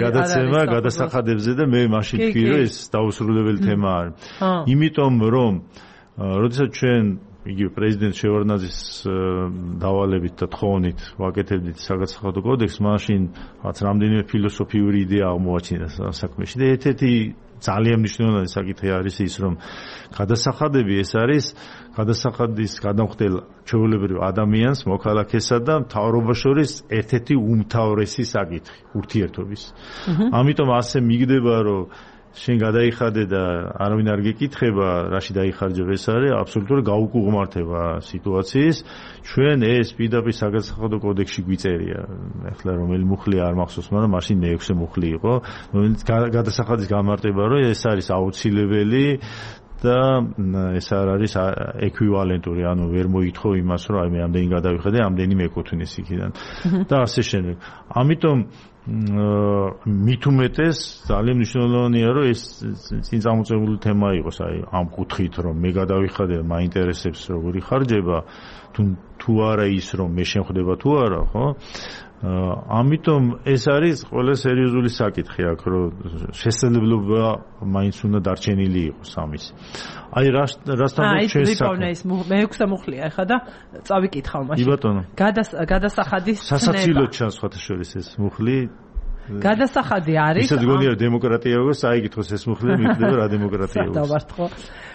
გადაცემა გადასახადებზე და მე მაშინ ვთქვი, რომ ეს დაუსრულებელი თემა არის. იმიტომ რომ როდესაც ჩვენ იგივე პრეზიდენტ შევარდნაძის დავალებით და თხოვნით ვაკეთებდით საგადასახადო კოდექსს, მაშინ რაც რამდენიმე ფილოსოფიური იდეა აღმოაჩინა საქმეში და ერთ-ერთი ძალიან მნიშვნელოვანი საკითხი არის ის, რომ გადასახადები ეს არის გადასახადის გადამხდელ ჩვეულებრივ ადამიანს, მოქალაქესა და მთავრობას შორის ერთ-ერთი უმთავრესი საკითხი ურთიერთობის. ამიტომ ასე მიგდება, რომ შენ გადაიხადე და არავინ არ გეკითხება, რაში დაიხარჯებ, ეს არის აბსოლუტური გაუკუღმართება სიტუაციის. ჩვენ ეს პირდაპირ საგადასახადო კოდექსში გვიწერია. ახლა რომელი მუხლი არ მახსოვს, მაგრამ მაშინ მეექვსე მუხლი იყო, რომელიც გადასახადის გამარტება, რომ ეს არის აუცილებელი და ეს არ არის ეკვივალენტური, ანუ ვერ მოითხოვ იმას, რომ აი მე ამდენი გადავიხადე, ამდენი მეკუთვნის იქიდან და ასე შემდეგ. ამიტომ მით უმეტეს ძალიან მნიშვნელოვანია, რომ ეს წინ წამოწეული თემა იყოს, აი ამ კუთხით, რომ მე გადავიხადე, მაინტერესებს როგორი ხარჯება, თუ თუ არა ის, რომ მე შემხვდება თუ არა, ხო? ამიტომ ეს არის ყველა სერიოზული საკითხი აქ, რომ შესაძლებლობა მაინც უნდა დარჩენილი იყოს ამის. აი რასთან ჩვენ საქმე ის მეექვსე მუხლია ახლა და წავიკითხავ მაშინ. კი ბატონო. გადასახადის სასაცილოდ ჩანს სხვათა შორის ეს მუხლი. გადასახადი არის. ისაც გონია დემოკრატია იყოს, აიგითოს ეს მუხლი მიგდება რა დემოკრატია იყოს. დავარტყო.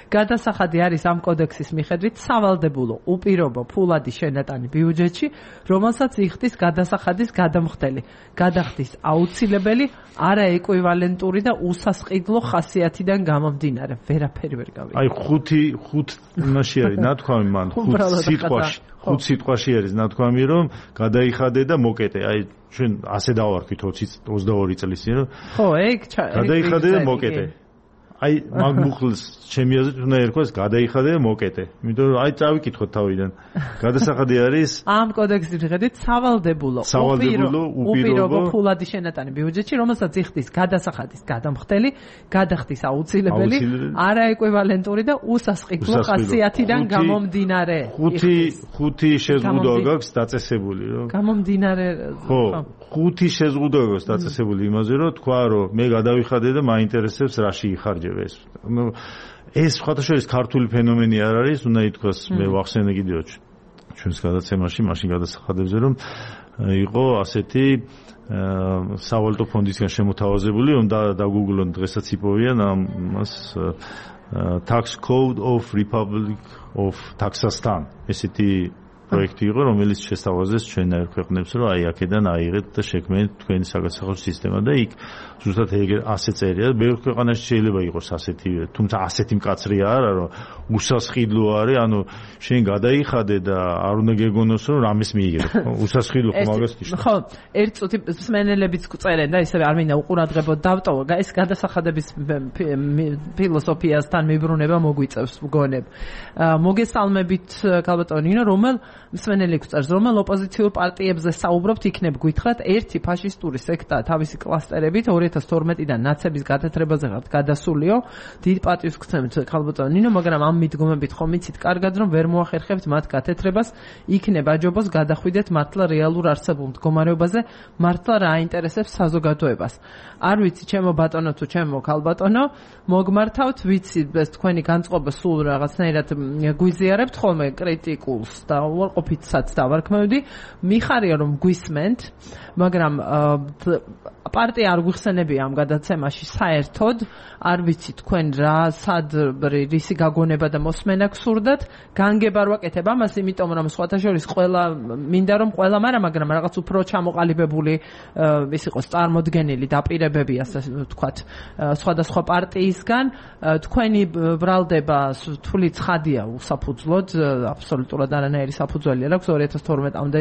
გადასახადი არის ამ კოდექსის მიხედვით სავალდებულო უპირობო ფულადი შენატანი ბიუჯეტში, რომელსაც იხდის გადასახადის გადამხდელი, გადახდის აუცილებელი, არაეკვივალენტური და უსასყიდლო ხასიათიდან გამომდინარე. ვერაფერი ვერ გავიგე. აი ხუთი ხუთ იმაში არის ნათქვამი მან, ხუთ სიტყვაში, ხუთ სიტყვაში არის ნათქვამი, რომ გადაიხადე და მოკეტე. აი ჩვენ ასე დავარქვით ოცდაორი წლის წინ, რომ ხო, ეგ გადაიხადე და მოკეტე. აი მაგ მუხლს ჩემი აზრით უნდა ერქვას გადაიხადე და მოკეტე. იმიტომ რომ აი წავიკითხოთ თავიდან. გადასახადი არის ამ კოდექსის მიხედვით სავალდებულო უპირობო ფულადი შენატანი ბიუჯეტში, რომელსაც იხდის გადასახადის გადამხდელი, გადახდის აუცილებელი, არაეკვივალენტური და უსასყიდლო ხასიათიდან გამომდინარე. ხუთი ხუთი შეზღუდვა გაქვს დაწესებული, რომ გამომდინარე ხო, ხუთი შეზღუდვა გაქვს დაწესებული იმაზე, რომ თქვა, რომ მე გადავიხადე და მაინტერესებს რაში იხარჯე. ნუ ეს სხვათა შორის ქართული ფენომენი არ არის, უნდა ითქვას, მე ვახსენე კიდევ ჩვენს გადაცემაში, მაშინ გადასახადებზე, რომ იყო ასეთი სავალუტო ფონდისგან შემოთავაზებული, რომ დაგუგლონ დღესაც იპოვიან ამას Tax Code of Republic of Kazakhstan. ესეთი პროექტი იყო, რომელიც შესთავაზეს ჩვენნაირ ქვეყნებს, რომ აი აქედან აიღეთ და შექმნით თქვენი საგადასახადო სისტემა და იქ ზუსტად ეგ ასე წერია. ბევრ ქვეყანაში შეიძლება იყოს ასეთი, თუმცა ასეთი მკაცრი არა, რომ უსასყიდლო არის, ანუ შენ გადაიხადე და არ უნდა გეგონოს, რომ რამეს მიიღებ. უსასყიდლო ხომ მაგას ნიშნავს. ხო, ერთ წუთი მსმენელებიც წერენ და ისევ არ მინდა უყურადღებოდ დავტოვო. ეს გადასახადების ფილოსოფიასთან მიბრუნება მოგვიწევს მგონებ. მოგესალმებით, ქალბატონო ნინო, რომელ მსმენელი გვწერს, რომელ ოპოზიციურ პარტიებზე საუბრობთ, იქნებ გითხრათ ერთი ფაშისტური სექტა თავისი კლასტერებით ორი ათას თორმეტიდან ნაცების გათეთრებაზე ხართ გადასულიო. დიდ პატივს გცემთ ხალბატონო ნინო, მაგრამ ამ მიდგომებით ხომ იცით კარგად, რომ ვერ მოახერხებთ მათ გათეთრებას, იქნებ აჯობოს გადახვიდეთ მართლა რეალურ არსებულ მდგომარეობაზე, მართლა რა აინტერესებს საზოგადოებას. არ ვიცი, ჩემო ბატონო თუ ჩემო ხალბატონო, მოგმართავთ, ვიცი, ეს თქვენი განწყობა სულ რაღაცნაირად გვიზიარებთ ხოლმე კრიტიკულს და უარყოფითსაც დავარქმევდი. მიხარია რომ გვისმენთ, მაგრამ პარტია არ გვიხსენებია ამ გადაცემაში საერთოდ. არ ვიცი თქვენ რა სად რისი გაგონება და მოსმენა გსურდათ. განგება არ ვაკეთებ ამას, იმიტომ რომ სხვათა შორის ყველა მინდა რომ ყველა, მაგრამ მაგრამ რაღაც უფრო ჩამოყალიბებული ის იყოს წარმოდგენილი დაპირებები, ასე ვთქვათ, სხვადასხვა პარტიისგან. თქვენი ბრალდება თული ცხადია უსაფუძვლოდ, აბსოლუტურად არანაირი საფუძველი არ აქვს. ორი ათას თორმეტამდე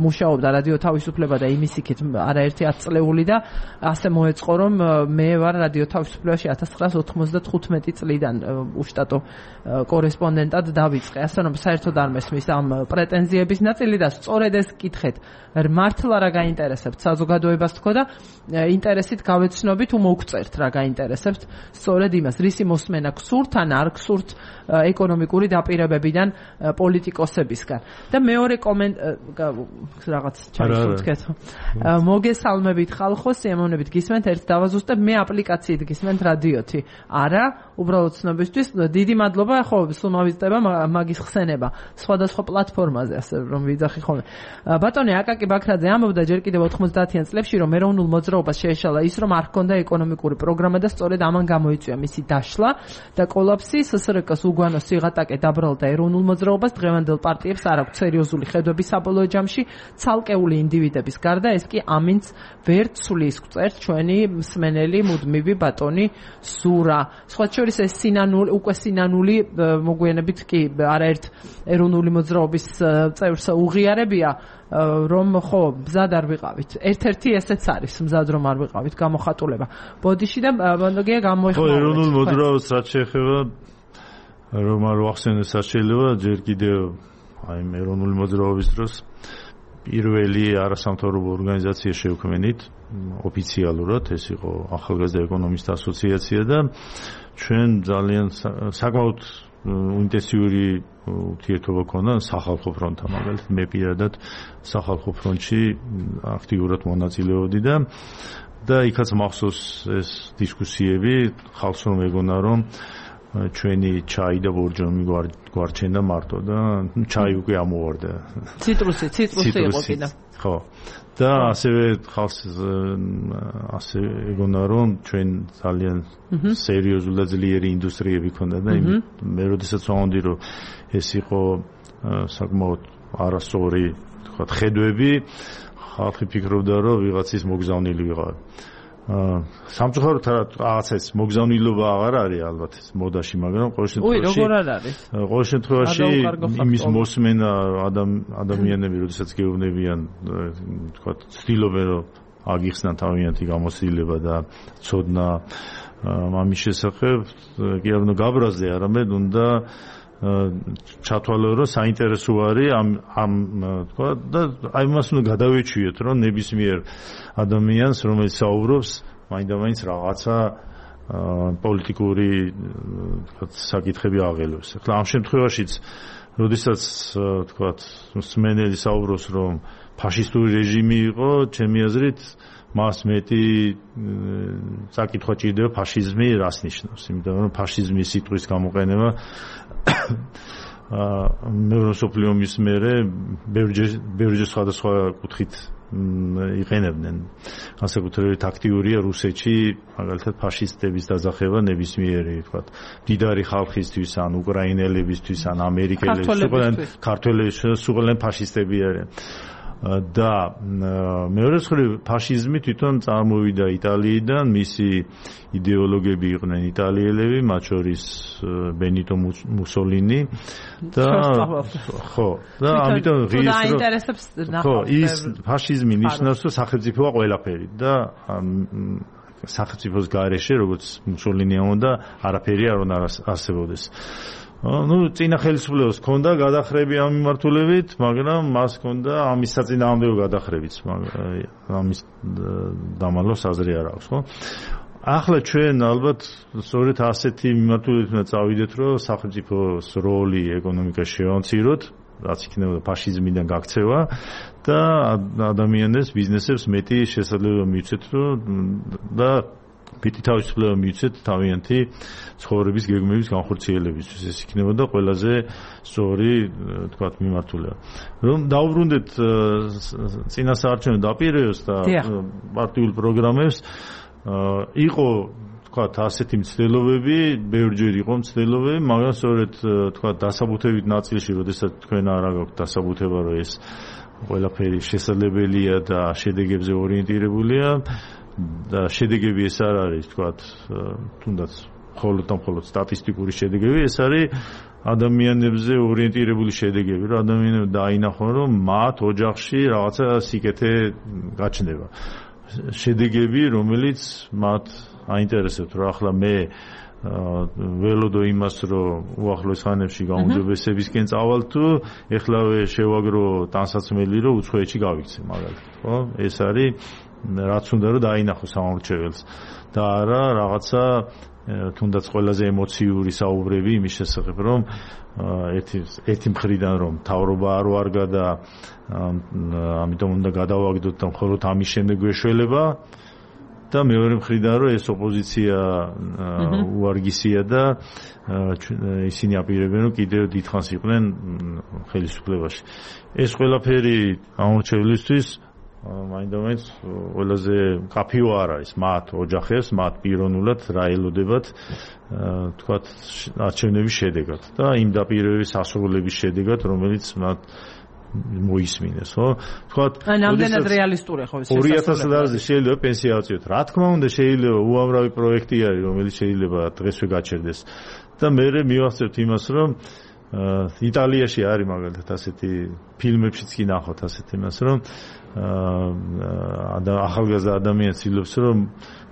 მუშაობდა რადიო თავისუფლება და იმის იქით არაერთი ათწლეული და ასე მოეწყო რომ მე ვარ რადიო თავისუფლებაში ათას ცხრაასა ოცდახუთმეტი წლიდან უშტატო კორესპონდენტად დავიწყე. ასე რომ საერთოდ არ მესმის ამ პრეტენზიების ნაწილი და სწორედ ეს კითხეთ, მართლა რა გაინტერესებთ საზოგადოებას თქო და ინტერესით გავეცნობით თუ მოგწერთ რა გაინტერესებთ სწორედ იმას, რისი მოსმენა გსურთ ან არ გსურთ ეკონომიკური დაპირებებიდან პოლიტიკოსებისგან. და მეორე კომენტ რაღაც ჩაიშუქეთ. მოგესალმებით ხალხო, სიამოვნებით გისმენთ, ერთ დავაზუსტებ, მე აპლიკაციით გისმენთ რადიოთი. არა, უბრალოდ ცნობისთვის დიდი მადლობა, ხო, სულ მოვიზრდება მაგის ხსენება სხვადასხვა პლატფორმაზე, ასე რომ ვიძახი ხოლმე. ბატონი აკაკი ბაქრაძე ამბობდა ჯერ კიდევ ოთხმოცდაათიან წლებში, რომ ეროვნულ მოძრაობას შეეშალა ის, რომ არ ჰქონდა ეკონომიკური პროგრამა და სწორედ ამან გამოიწვია მისი დაშლა და კოლაფსი. სსრკ-ს უგვანო სიღატაკე დაბრალდა ეროვნულ მოძრაობას, დღევანდელ პარტიებს არ აქვს სერიოზული ხედვები საბოლოო ჯამში, ცალკეული ინდივიდების გარდა, ეს კი ამინც ვერ ცვლის, გვწერთ ჩვენი მსმენელი მუდმივი ბატონი ზურა. სხვა შორის ეს სინანული, უკვე სინანული მოგვიანებით კი არაერთ ეროვნული მოძრაობის წევრს უღიარებია, რომ ხო მზად არ ვიყავით. ერთ-ერთი ესეც არის მზად რომ არ ვიყავით გამოხატულება. ბოდიში და ბანდოგია გამოიხმაურეთ. ხო, ეროვნულ მოძრაობას რაც შეეხება, რომ არ ვახსენოს შეიძლება, ჯერ კიდევ აი ეროვნული მოძრაობის დროს პირველი არასამთავრობო ორგანიზაცია შევქმნით ოფიციალურად, ეს იყო ახალგაზრდა ეკონომისტთა ასოციაცია და ჩვენ ძალიან საკმაოდ ინტენსიური ურთიერთობა ქონდა სახალხო ფრონტთან, მაგალითად მე პირადად სახალხო ფრონტში აქტიურად მონაწილეობდი და და იქაც მახსოვს ეს დისკუსიები, ხალხს რომ ეგონა რომ ჩვენი ჩაი და ბორჯომი გვარჩენდა მარტო და ჩაი უკვე ამოვარდა. ციტრუსი, ციტრუსი იყო კიდე. ხო. და ასევე ხალხს ასე ეგონა რომ ჩვენ ძალიან სერიოზული და ძლიერი ინდუსტრიები ქონდა და მე როდესაც ვამბობდი რომ ეს იყო საკმაოდ არასწორი, თქვათ, ხედვები, ხალხი ფიქრობდა რომ ვიღაცის მოგზავნილი ვიყავ. სამწუხაროდ რაღაცა ეს მოგზავნილობა აღარ არის ალბათ ეს მოდაში, მაგრამ ყოველ შემთხვევაში უი, როგორ არ არის? ყოველ შემთხვევაში იმის მოსმენა ადამიანები, როდესაც გეუბნებიან, თქვათ, ცდილობენ რომ აგიხსნან თავიანთი გამოცდილება და ცოდნა ამის შესახებ, კი არა გაბრაზდე, არამედ უნდა ჩათვალო რომ საინტერესო არის ამ ამ თქვა და აი მას უნდა გადავეჩვიოთ რომ ნებისმიერ ადამიანს რომელიც საუბრობს მაინდა-მაინც რაღაცა პოლიტიკური თქვა საკითხები აღელვებს. ახლა ამ შემთხვევაშიც როდესაც თქვა მსმენელი საუბრობს რომ ფაშისტური რეჟიმი იყო, ჩემი აზრით მას მეტი საკითხვა ჭირდება ფაშიზმი რას ნიშნავს, იმიტომ რომ ფაშიზმის სიტყვის გამოყენება მეორე მსოფლიო ომის მერე ბევრჯერ სხვადასხვა კუთხით იყენებდნენ. განსაკუთრებით აქტიურია რუსეთში, მაგალითად ფაშისტების დაძახება ნებისმიერი, თქვათ, მდიდარი ხალხისთვის, ან უკრაინელებისთვის, ან ამერიკელებისთვის, ქართველებისთვის, სულ ფაშისტები არიან. და მეორე მხრივ ფაშიზმი თვითონ წარმოვიდა იტალიიდან, მისი იდეოლოგები იყვნენ იტალიელები, მათ შორის ბენიტო მუსოლინი და ხო, და ამიტომ ღირს ხო, ის ფაშიზმი ნიშნავს, რომ სახელმწიფოა ყველაფერი და სახელმწიფოს გარეშე, როგორც მუსოლინი ამბობდა, არაფერი არ უნდა არსებობდეს. ну წინა ხელისუფლებას ჰქონდა გადახრები ამ მიმართულებით, მაგრამ მას ჰქონდა ამის საწინააღმდეგო გადახრებიც, ამის დამალოს აზრი არ აქვს, ხო? ახლა ჩვენ ალბათ სწორედ ასეთი მიმართულებით უნდა წავიდეთ, რომ სახელმწიფოს როლი ეკონომიკაში შევამციროთ, რაც იქნებოდა ფაშიზმიდან გაქცევა და ადამიანებს, ბიზნესებს მეტი შესაძლებლობა მივცეთ, რომ და მეტი თავისუფლება მივცეთ თავიანთი ცხოვრების გეგმების განხორციელებისთვის. ეს იქნებოდა ყველაზე სწორი, თქვათ, მიმართულება. რომ დავუბრუნდეთ წინასაარჩევნო დაპირებებს და პარტიულ პროგრამებს, იყო თქვათ ასეთი მცდელობები, ბევრჯერ იყო მცდელობები, მაგრამ სწორედ თქვათ დასაბუთებით ნაწილში, როდესაც თქვენ არ გაქვთ დასაბუთება, რომ ეს ყველაფერი შესაძლებელია და შედეგებზე ორიენტირებულია და შედეგები ეს არ არის, თქვათ, თუნდაც მხოლოდ და მხოლოდ სტატისტიკური შედეგები, ეს არის ადამიანებზე ორიენტირებული შედეგები, რომ ადამიანები დაინახონ, რომ მათ ოჯახში რაღაცა სიკეთე გაჩნდება. შედეგები, რომელიც მათ აინტერესებთ, რომ ახლა მე ველოდო იმას, რომ უახლოეს ხანებში გაუმჯობესებისკენ წავალ თუ ეხლავე შევაგრო ტანსაცმელი, რომ უცხოეთში გავიქცე, მაგალითად, ხო? ეს არის რაც უნდა რომ დაინახოს სამორჩეველს და არა რაღაცა თუნდაც ყველაზე ემოციური საუბრები იმის შესახებ, რომ ერთი ერთი მხრიდან რომ თავრობა არ ვარგა და ამიტომ უნდა გადავაგდოთ და მხოლოდ ამის შემდეგ გვეშველება და მეორე მხრიდან რომ ეს ოპოზიცია უარგისია და ისინი აპირებენ რომ კიდევ დიდხანს იყვნენ ხელისუფლებაში. ეს ყველაფერი ამორჩევლისთვის მაინდამაინც ყველაზე კაფიო არ არის მათ ოჯახებს, მათ პიროვნულად რა ელოდებათ თქვათ არჩევნების შედეგად და იმ დაპირებების ასრულების შედეგად, რომელიც მათ მოისმინეს, ხო? თქვათ ამდენად რეალისტური ხო ეს ორი ათას დოლარზე შეიძლება პენსია აწიოთ. რა თქმა უნდა, შეიძლება უამრავი პროექტი არის, რომელიც შეიძლება დღესვე გაჩერდეს. და მე მივახცევთ იმას, რომ იტალიაში არის მაგალითად ასეთი ფილმებშიც კი ნახოთ ასეთ იმას, რომ ახალგაზრდა ადამიანს ილობს, რომ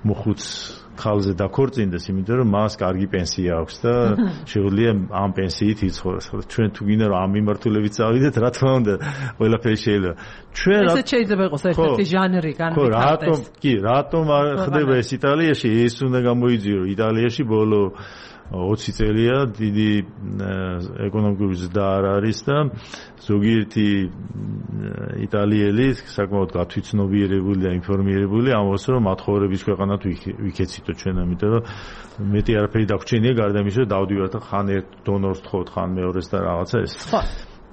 მოხუც ხალზე დაქორწინდეს, იმიტომ რომ მას კარგი პენსია აქვს და შეუძლია ამ პენსიით იცხოვროს. ჩვენ თუ გინდა რომ ამ მიმართულებით წავიდეთ, რა თქმა უნდა, ყველაფერი შეიძლება. ჩვენ ესეც შეიძლება იყოს ერთ-ერთი ჟანრი განვითარდეს. ხო, რატომ კი, რატომ არ ხდება ეს იტალიაში? ეს უნდა გამოიძიო, რომ იტალიაში ბოლო ოცი წელია დიდი ეკონომიკური ზრდა არ არის და ზოგიერთი იტალიელი საკმაოდ გათვითცნობიერებული და ინფორმირებული ამბობს, რომ მათხოვრების ქვეყანად ვიქეციტო ჩვენ, ამიტომ რომ მეტი არაფერი დაგვრჩენია გარდა იმისა, რომ დავდივართ და ხან ერთ დონორს თხოვთ, ხან მეორეს და რაღაცა ეს.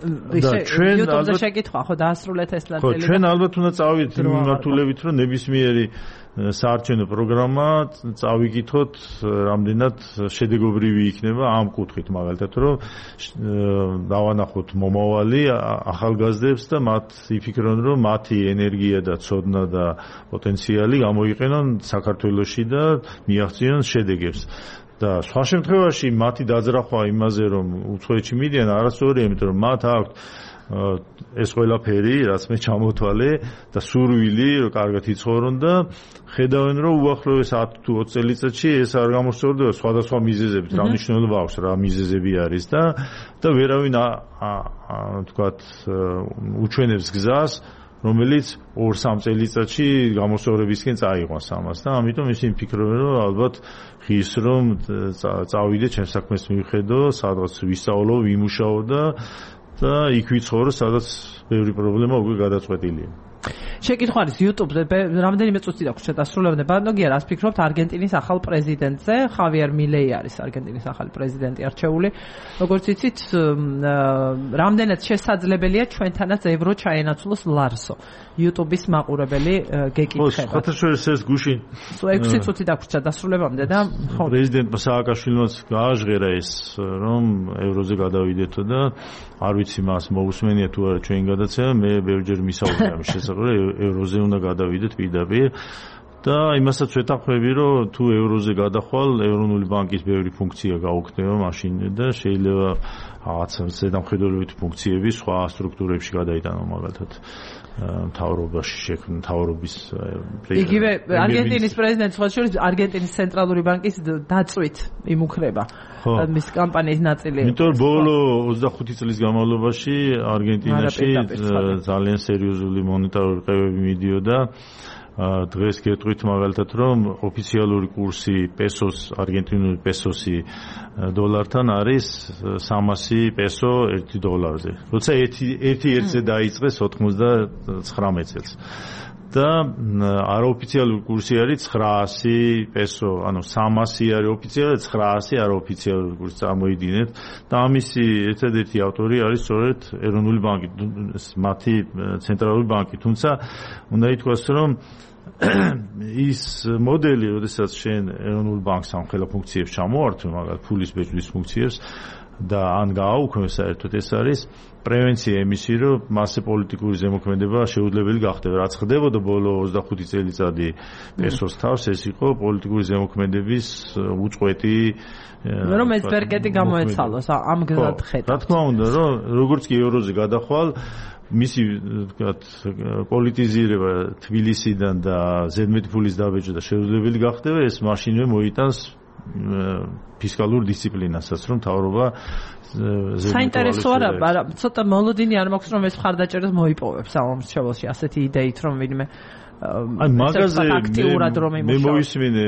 და ჩვენ YouTube-ზე შეკითხვა ხო დაასრულეთ ეს ნაწილი. ხო, ჩვენ ალბათ უნდა წავიდეთ მიმართულებით, რომ ნებისმიერი საარჩევნო პროგრამა წავიკითხოთ, რამდენად შედეგობრივი იქნება ამ კუთხით, მაგალითად, რომ დავანახოთ მომავალი ახალგაზრდებს და მათ იფიქრონ, რომ მათი ენერგია და ცოდნა და პოტენციალი გამოიყენონ საქართველოში და მიაღწიონ შედეგებს. და სხვა შემთხვევაში მათი დაძრახვა იმაზე, რომ უცხოეთში მიდიან, არასწორია, იმიტომ რომ მათ აქვთ ეს ყველაფერი, რაც მე ჩამოთვალე და სურვილი, რომ კარგად იცხოვრონ და ხედავენ, რომ უახლოეს ათი თუ ოცი წელიწადში ეს არ გამოსწორდება სხვადასხვა მიზეზებით, რა მნიშვნელობა აქვს, რა მიზეზები არის და და ვერავინ თქვათ უჩვენებს გზას, რომელიც ორ სამ წელიწადში გამოსწორებისკენ წაიყვანს ამას და ამიტომ ისინი ფიქრობენ, რომ ალბათ ღირს რომ წავიდე ჩემს საქმეს მივხედო, სადღაც ვისწავლო, ვიმუშაო და და იქ ვიცხოვრო, სადაც ბევრი პრობლემა უკვე გადაწყვეტილია. შეკითხვა არის YouTube-ზე, რამდენიმე წუთი დაგვრჩა დასრულებამდე. ბატონო, რას ფიქრობთ არგენტინის ახალ პრეზიდენტზე? ხავიერ მილეი არის არგენტინის ახალი პრეზიდენტი არჩეული. როგორც იცით, რამდენად შესაძლებელია ჩვენთანაც ევრო ჩაენაცვლოს ლარსო. YouTube-ის მაყურებელი გეკითხება. ხო, ხათაშორის ეს გუშინ ექვსი წუთი დაგვრჩა დასრულებამდე და ხო, პრეზიდენტმა სააკაშვილიმაც გააჟღერა ეს, რომ ევროზე გადავიდეთო და არ ვიცი მას მოусმენია თუ არა ჩვენი გადაცემა, მე ბევრჯერ მისაუბრე ამის შესახებ, ევროზე უნდა გადავიდეთ პირდაპირ და იმასაც ვეთანხმები, რომ თუ ევროზე გადახვალ, ეროვნული ბანკის ბევრი ფუნქცია გაუქმდება მაშინ და შეიძლება რაღაც ზედამხედველობითი ფუნქციები სხვა სტრუქტურებში გადაიტანო მაგალითად მთავრობაში შექმნა მთავრობის იგივე არგენტინის პრეზიდენტი სხვა შორის არგენტინის ცენტრალური ბანკის დაწვით იმუქრება მის კამპანიის ნაწილი. იმიტომ ბოლო ოცდახუთი წლის განმავლობაში არგენტინაში ძალიან სერიოზული მონეტარული ყევები მიდიოდა. დღეს გეტყვით მაგალითად რომ ოფიციალური კურსი პესოს არგენტინული პესოსი დოლართან არის სამასი პესო ერთი დოლარზე. როცა ერთი ერთზე დაიწყეს ოთხმოცდათხრამეტ წელს. და არაოფიციალური კურსი არის ცხრაასი პესო, ანუ სამასი არის ოფიციალური, ცხრაასი არაოფიციალური კურსი წარმოიდგინეთ და ამისი ერთადერთი ავტორი არის სწორედ ეროვნული ბანკი, მათი ცენტრალური ბანკი. თუმცა უნდა ითქვას, რომ ის მოდელი, როდესაც შენ ეროვნულ ბანკს ამ ხელა ფუნქციებს ჩამოართვე, მაგალითად ფულის ბეჭდის ფუნქციებს და ან გააუქმე საერთოდ ეს არის პრევენცია იმისი, რომ მასზე პოლიტიკური ზემოქმედება შეუძლებელი გახდება. რაც ხდებოდა ბოლო ოცდახუთი წელიწადი პესოს თავს, ეს იყო პოლიტიკური ზემოქმედების უწყვეტი რომ ეს ბერკეტი გამოეცალოს ამ გზად ხედავთ. რა თქმა უნდა, რომ როგორც კი ევროზე გადახვალ მისი ვთქვათ პოლიტიზირება თბილისიდან და ზედმეტი ფულის დაბეჭდა შეუძლებელი გახდება, ეს მაშინვე მოიტანს ფისკალურ დისციპლინასაც, რომ მთავრობა საინტერესო არა, ცოტა მოლოდინი არ მაქვს რომ ეს მხარდაჭერას მოიპოვებს ამ შემთხვევაში ასეთი იდეით რომ ვინმე აი მაგაზე აქტიურად რომ მე მოვისმინე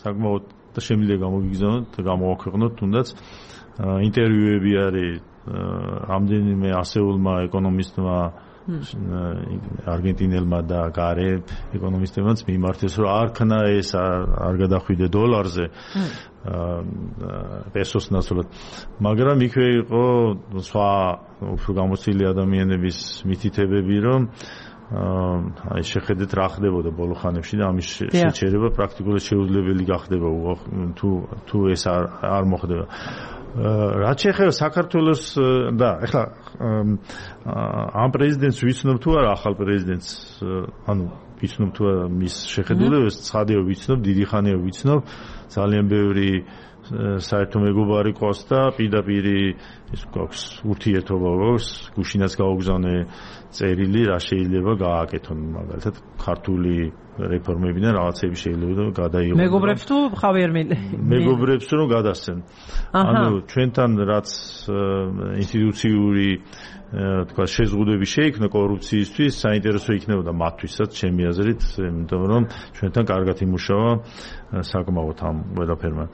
საკმაოდ და შემიძლია გამოგიგზავნოთ და გამოვაქვეყნოთ თუნდაც ინტერვიუები არის რამდენიმე ასეულმა ეკონომისტმა არგენტინელმა და გარე ეკონომისტებმაც მიმართეს რომ არ ქნა ეს არ გადახვიდე დოლარზე პესოს ნაცვლად, მაგრამ იქვე იყო სხვა უფრო გამოცდილი ადამიანების მითითებები რომ აი შეხედეთ რა ხდებოდა ბოლო ხანებში და ამის შეჩერება პრაქტიკულად შეუძლებელი გახდება თუ თუ ეს არ არ მოხდება. რაც შეეხება საქართველოს და ეხლა ამ პრეზიდენტს ვიცნობ თუ არა ახალ პრეზიდენტს, ანუ ვიცნობ თუ არა მის შეხედულებას, ცხადია ვიცნობ, დიდი ხანია ვიცნობ, ძალიან ბევრი საერთო მეგობარი ყავს და პირდაპირი ის გვაქვს ურთიერთობა გვაქვს, გუშინაც გაუგზავნე წერილი რა შეიძლება გააკეთონ მაგალითად ქართული რეფორმებიდან რაღაცები შეიძლება გადაიღოს. მეგობრებს თუ ხავიერ მილე მეგობრებს რომ გადასცენ. ანუ ჩვენთან რაც ინსტიტუციური თქვა შეზღუდვები შეიქმნა კორუფციისთვის, საინტერესო იქნებოდა მათთვისაც ჩემი აზრით, იმიტომ რომ ჩვენთან კარგად იმუშავა საკმაოდ ამ ყველაფერმა.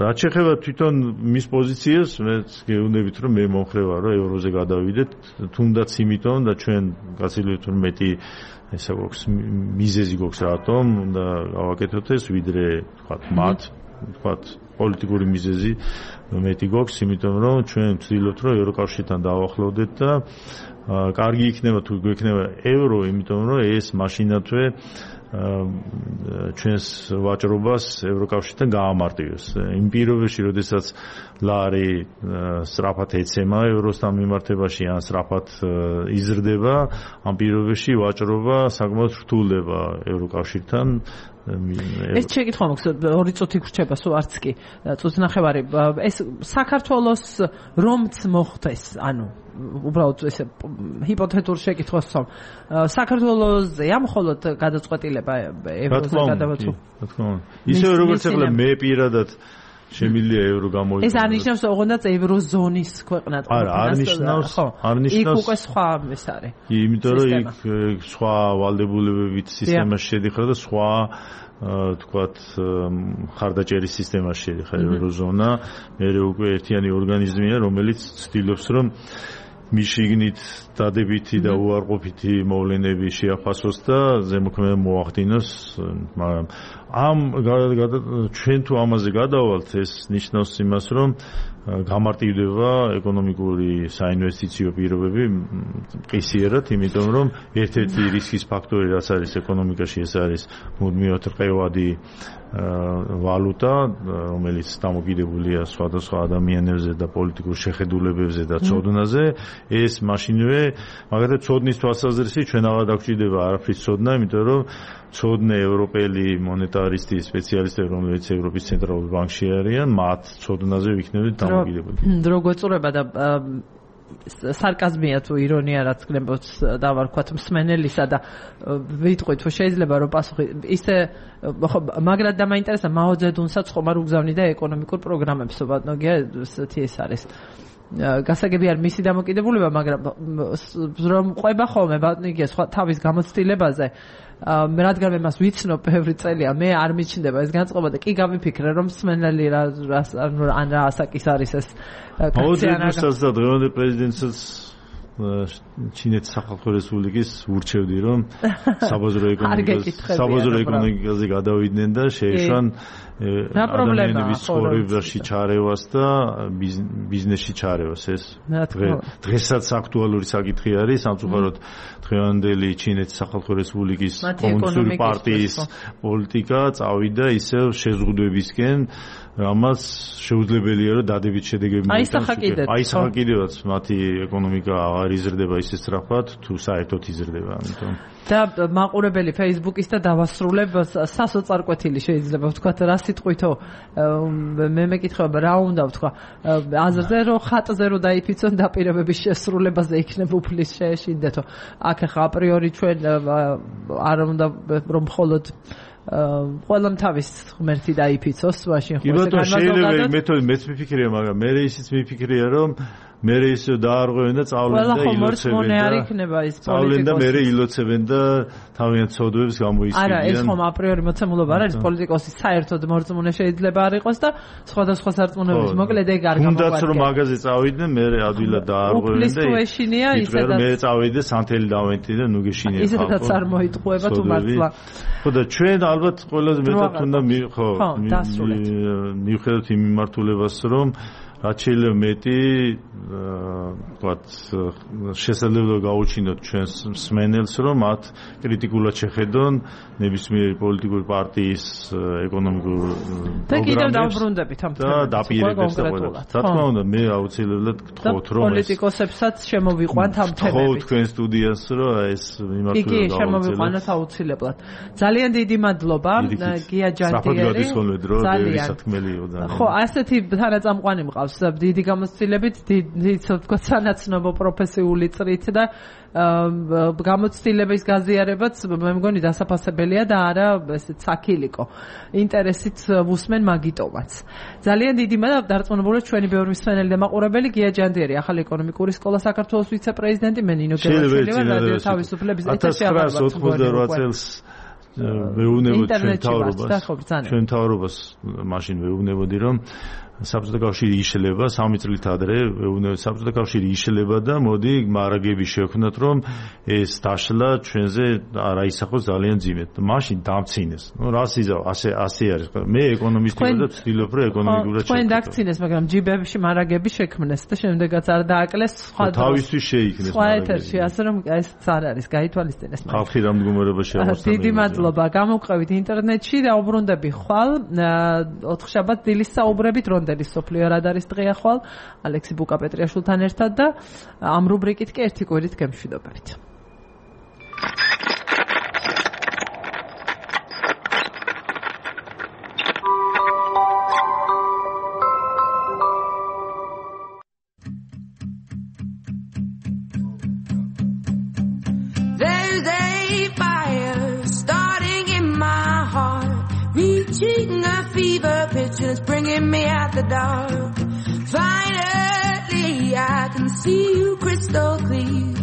რაც შეეხება თვითონ მის პოზიციას, მე გეუბნებით რომ მე მომხრევა რომ ევროზე გადავიდეთ, თუნდაც იმიტომ და ჩვენ გაცილებით რომ მეტი ესა გვაქვს მიზეზი გვაქვს რატომ და გავაკეთოთ ეს ვიდრე თქვა მათ თქვა პოლიტიკური მიზეზი მეტი გვაქვს, იმიტომ რომ ჩვენ ვცდილობთ რომ ევროკავშირთან დავახლოვდეთ და კარგი იქნება თუ გვექნება ევრო, იმიტომ რომ ეს მაშინათვე ჩვენს ვაჭრობას ევროკავშირთან გაამარტივებს. იმ პირობებში, როდესაც ლარი სწრაფად ეცემა ევროსთან მიმართებაში ან სწრაფად იზრდება, ამ პირობებში ვაჭრობა საკმაოდ რთულდება ევროკავშირთან. ეს შეკითხვა მაქვს, ორი წუთი გრჩება, სულ არც კი წუთი ნახევარი. ეს საქართველოს რომც მოხდეს, ანუ უბრალოდ ესე ჰიპოთეტურ შეკითხვას ვსვამ. საქართველოსზეა მხოლოდ გადაწყვეტილება ევროზე გადავაცვო. რა თქმა უნდა. ისე როგორც ახლა მე პირადად შემიძლია ევრო გამოიყენო. ეს არ ნიშნავს ოღონდაც ევროზონის ქვეყნად ყოფნა. არა, არ ნიშნავს, არ ნიშნავს. იქ უკვე სხვა ეს არის. იმიტომ რომ იქ სხვა ვალდებულებებით სისტემაში შედიხარ და სხვა თქვათ ხარდაჭერის სისტემაში შედიხარ ევროზონა. მე უკვე ერთიანი ორგანიზმია, რომელიც ცდილობს რომ მიშიგნით დადებითი და უარყოფითი მოვლენები შეაფასოს და ზემოქმედება მოახდინოს, მაგრამ ამ ჩვენ თუ ამაზე გადავალთ, ეს ნიშნავს იმას, რომ გამარტივდება ეკონომიკური საინვესტიციო პირობები ყისიერად, იმიტომ რომ ერთ-ერთი რისკის ფაქტორი რაც არის ეკონომიკაში, ეს არის მუდმივად რყევადი ვალუტა, რომელიც დამოკიდებულია სხვადასხვა ადამიანებზე და პოლიტიკურ შეხედულებებზე და ცოდნაზე. ეს მაშინვე, მაგალითად, ცოდნის თვალსაზრისით ჩვენ აღარ დაგვჭირდება არაფრის ცოდნა, იმიტომ რომ ცოდნე ევროპელი მონეტარისტი სპეციალისტები, რომლებიც ევროპის ცენტრალურ ბანკში არიან, მათ ცოდნაზე ვიქნებით დამოკიდებული. დრო გვეწურება და სარკაზმია თუ ირონია რაც გნებობს დავარქვათ მსმენელისა და ვიტყვით რომ შეიძლება რომ პასუხი ისე მაგრამ და მაინტერესა მაო ძედუნსაც ხომ არ უგზავნი და ეკონომიკურ პროგრამებს ბატონო ესეთი ეს არის გასაგები არ მისი დამოკიდებულება მაგრამ რომ ყვება ხოლმე ბატონო იგია სხვა თავის გამოცდილებაზე მე რადგან მე მას ვიცნობ ბევრი წელია მე არ მიჩნდება ეს განწყობა და კი გამიფიქრე რომ მსმენელი რა ან რა ასაკის არის ეს კაციანასაც და დღევანდელ პრეზიდენტსაც ჩინეთის სახალხო რესპუბლიკის ურჩევდი რომ საბაზრო ეკონომიკას საბაზრო ეკონომიკაზე გადავიდნენ და შეეშვან ადამიანების ცხოვრებაში ჩარევას და ბიზნესში ჩარევას ეს დღესაც აქტუალური საკითხი არის სამწუხაროდ დღევანდელი ჩინეთის სახალხო რესპუბლიკის კომუნისტური პარტიის პოლიტიკა წავიდა ისევ შეზღუდვებისკენ ამას შეუძლებელია რომ დადებით შედეგები მოიტანოს აი სახა კიდევაც მათი ეკონომიკა აღარ იზრდება ისე სწრაფად თუ საერთოდ იზრდება ამიტომ და მაყურებელი Facebook-ის და დავასრულებ სასოწარკვეთილი შეიძლება ვთქვათ რა სიტყვითო მე მეკითხება რა უნდა ვთქვა აზრზე რომ ხატზე რომ დაიფიცონ დაპირებების შესრულებაზე იქნება უფლის შეეშინდეთო აქ ახლა აპრიორი ჩვენ არ უნდა რომ მხოლოდ ყველამ თავის ღმერთი დაიფიცოს მაშინ ხო ესე განმარტო მეთოდი მეც მიფიქრია მაგრამ მე ისიც მიფიქრია რომ მე ისე დაარღვევენ და წავლენ და ილოცებენ და წავლენ და მე ილოცებენ და თავიანთ ცოდვებს გამოისმენიან არა ეს ხომ აპრიორი მოცემულობა არ არის პოლიტიკოსი საერთოდ მორწმუნე შეიძლება არ იყოს და სხვადასხვა სარწმუნოების მოკლედ ეგ არ გამოგვადგენ თუნდაც რომ მაგაზე წავიდნენ მე ადვილად დაარღვევენ და ისედაც მე წავიდე სანთელი დავენტი და ნუ გეშინია ისედაც არ მოიტყუება თუ მართლა ხო და ჩვენ ალბათ ყველაზე მეტად უნდა ხო მივხვდეთ იმ მიმართულებას რომ რაც შეიძლება მეტი ვთქვათ შესაძლებლობა გაუჩინოთ ჩვენს მსმენელს რომ მათ კრიტიკულად შეხედონ ნებისმიერი პოლიტიკური პარტიის ეკონომიკურ პროგრამებს და კიდევ დავბრუნდებით ამ თემას და დაპირებებს და ყველა. რა თქმა უნდა მე აუცილებლად გთხოვთ რომ პოლიტიკოსებსაც შემოვიყვანთ ამ თემებით. გთხოვთ თქვენ სტუდიას რომ ეს მიმართულებით კი კი შემოვიყვანოთ აუცილებლად. ძალიან დიდი მადლობა გია ჯანტიერი. ძალიან. ხო ასეთი თანაწამყვანი მყავს დიდი გამოცდილებით დიდი თქო სანაცნობო პროფესიული წრით და გამოცდილების გაზიარებაც მე მგონი დასაფასებელია და არა ესეც საქილიკო ინტერესით ვუსმენ მაგიტომაც ძალიან დიდი მადლობა დარწმუნებული ჩვენი ბევრი მსმენელი და მაყურებელი გია ჯანდიერი ახალი ეკონომიკური სკოლა საქართველოს ვიცე-პრეზიდენტი მე ნინო გელაშვილი ვარ რადიო თავისუფლების ეთერში ათასცხრაასოთხმოცდაოთხ წელს ვეუბნებოდი ჩვენ თავრობას ჩვენ თავრობას მაშინ ვეუბნებოდი რომ საბჭოთა კავშირი იშლება სამი წლით ადრე ვეუბნებოდი საბჭოთა კავშირი იშლება და მოდი მარაგები შევქნათ რომ ეს დაშლა ჩვენზე არ აისახოს ძალიან ძიმედ მაშინ დამცინეს ნუ რას იზავ ასე ასე არის მე ეკონომისტი ვარ და ვცდილობ რომ ეკონომიკურად შევქნათ თქვენ დაგცინეს მაგრამ ჯიბებში მარაგები შექმნეს და შემდეგაც არ დააკლეს სხვა თავისთვის შეიქმნეს სხვა ეთერში ასე რომ ეს არ არის გაითვალისწინეს ხალხი რა მდგომარეობაში აღმოჩნდა დიდი მადლობა გამოვყევით ინტერნეტში და უბრუნდები ხვალ ოთხშაბათ დილის საუბრებით რონდელის სოფლიო რადარის დღეა ხვალ ალექსი ბუკაპეტრიაშვილთან ერთად და ამ რუბრიკით კი ერთი კვირით გემშვიდობებით Reaching a fever pitch and it's bringing me out the dark. Finally, I can see you crystal clear.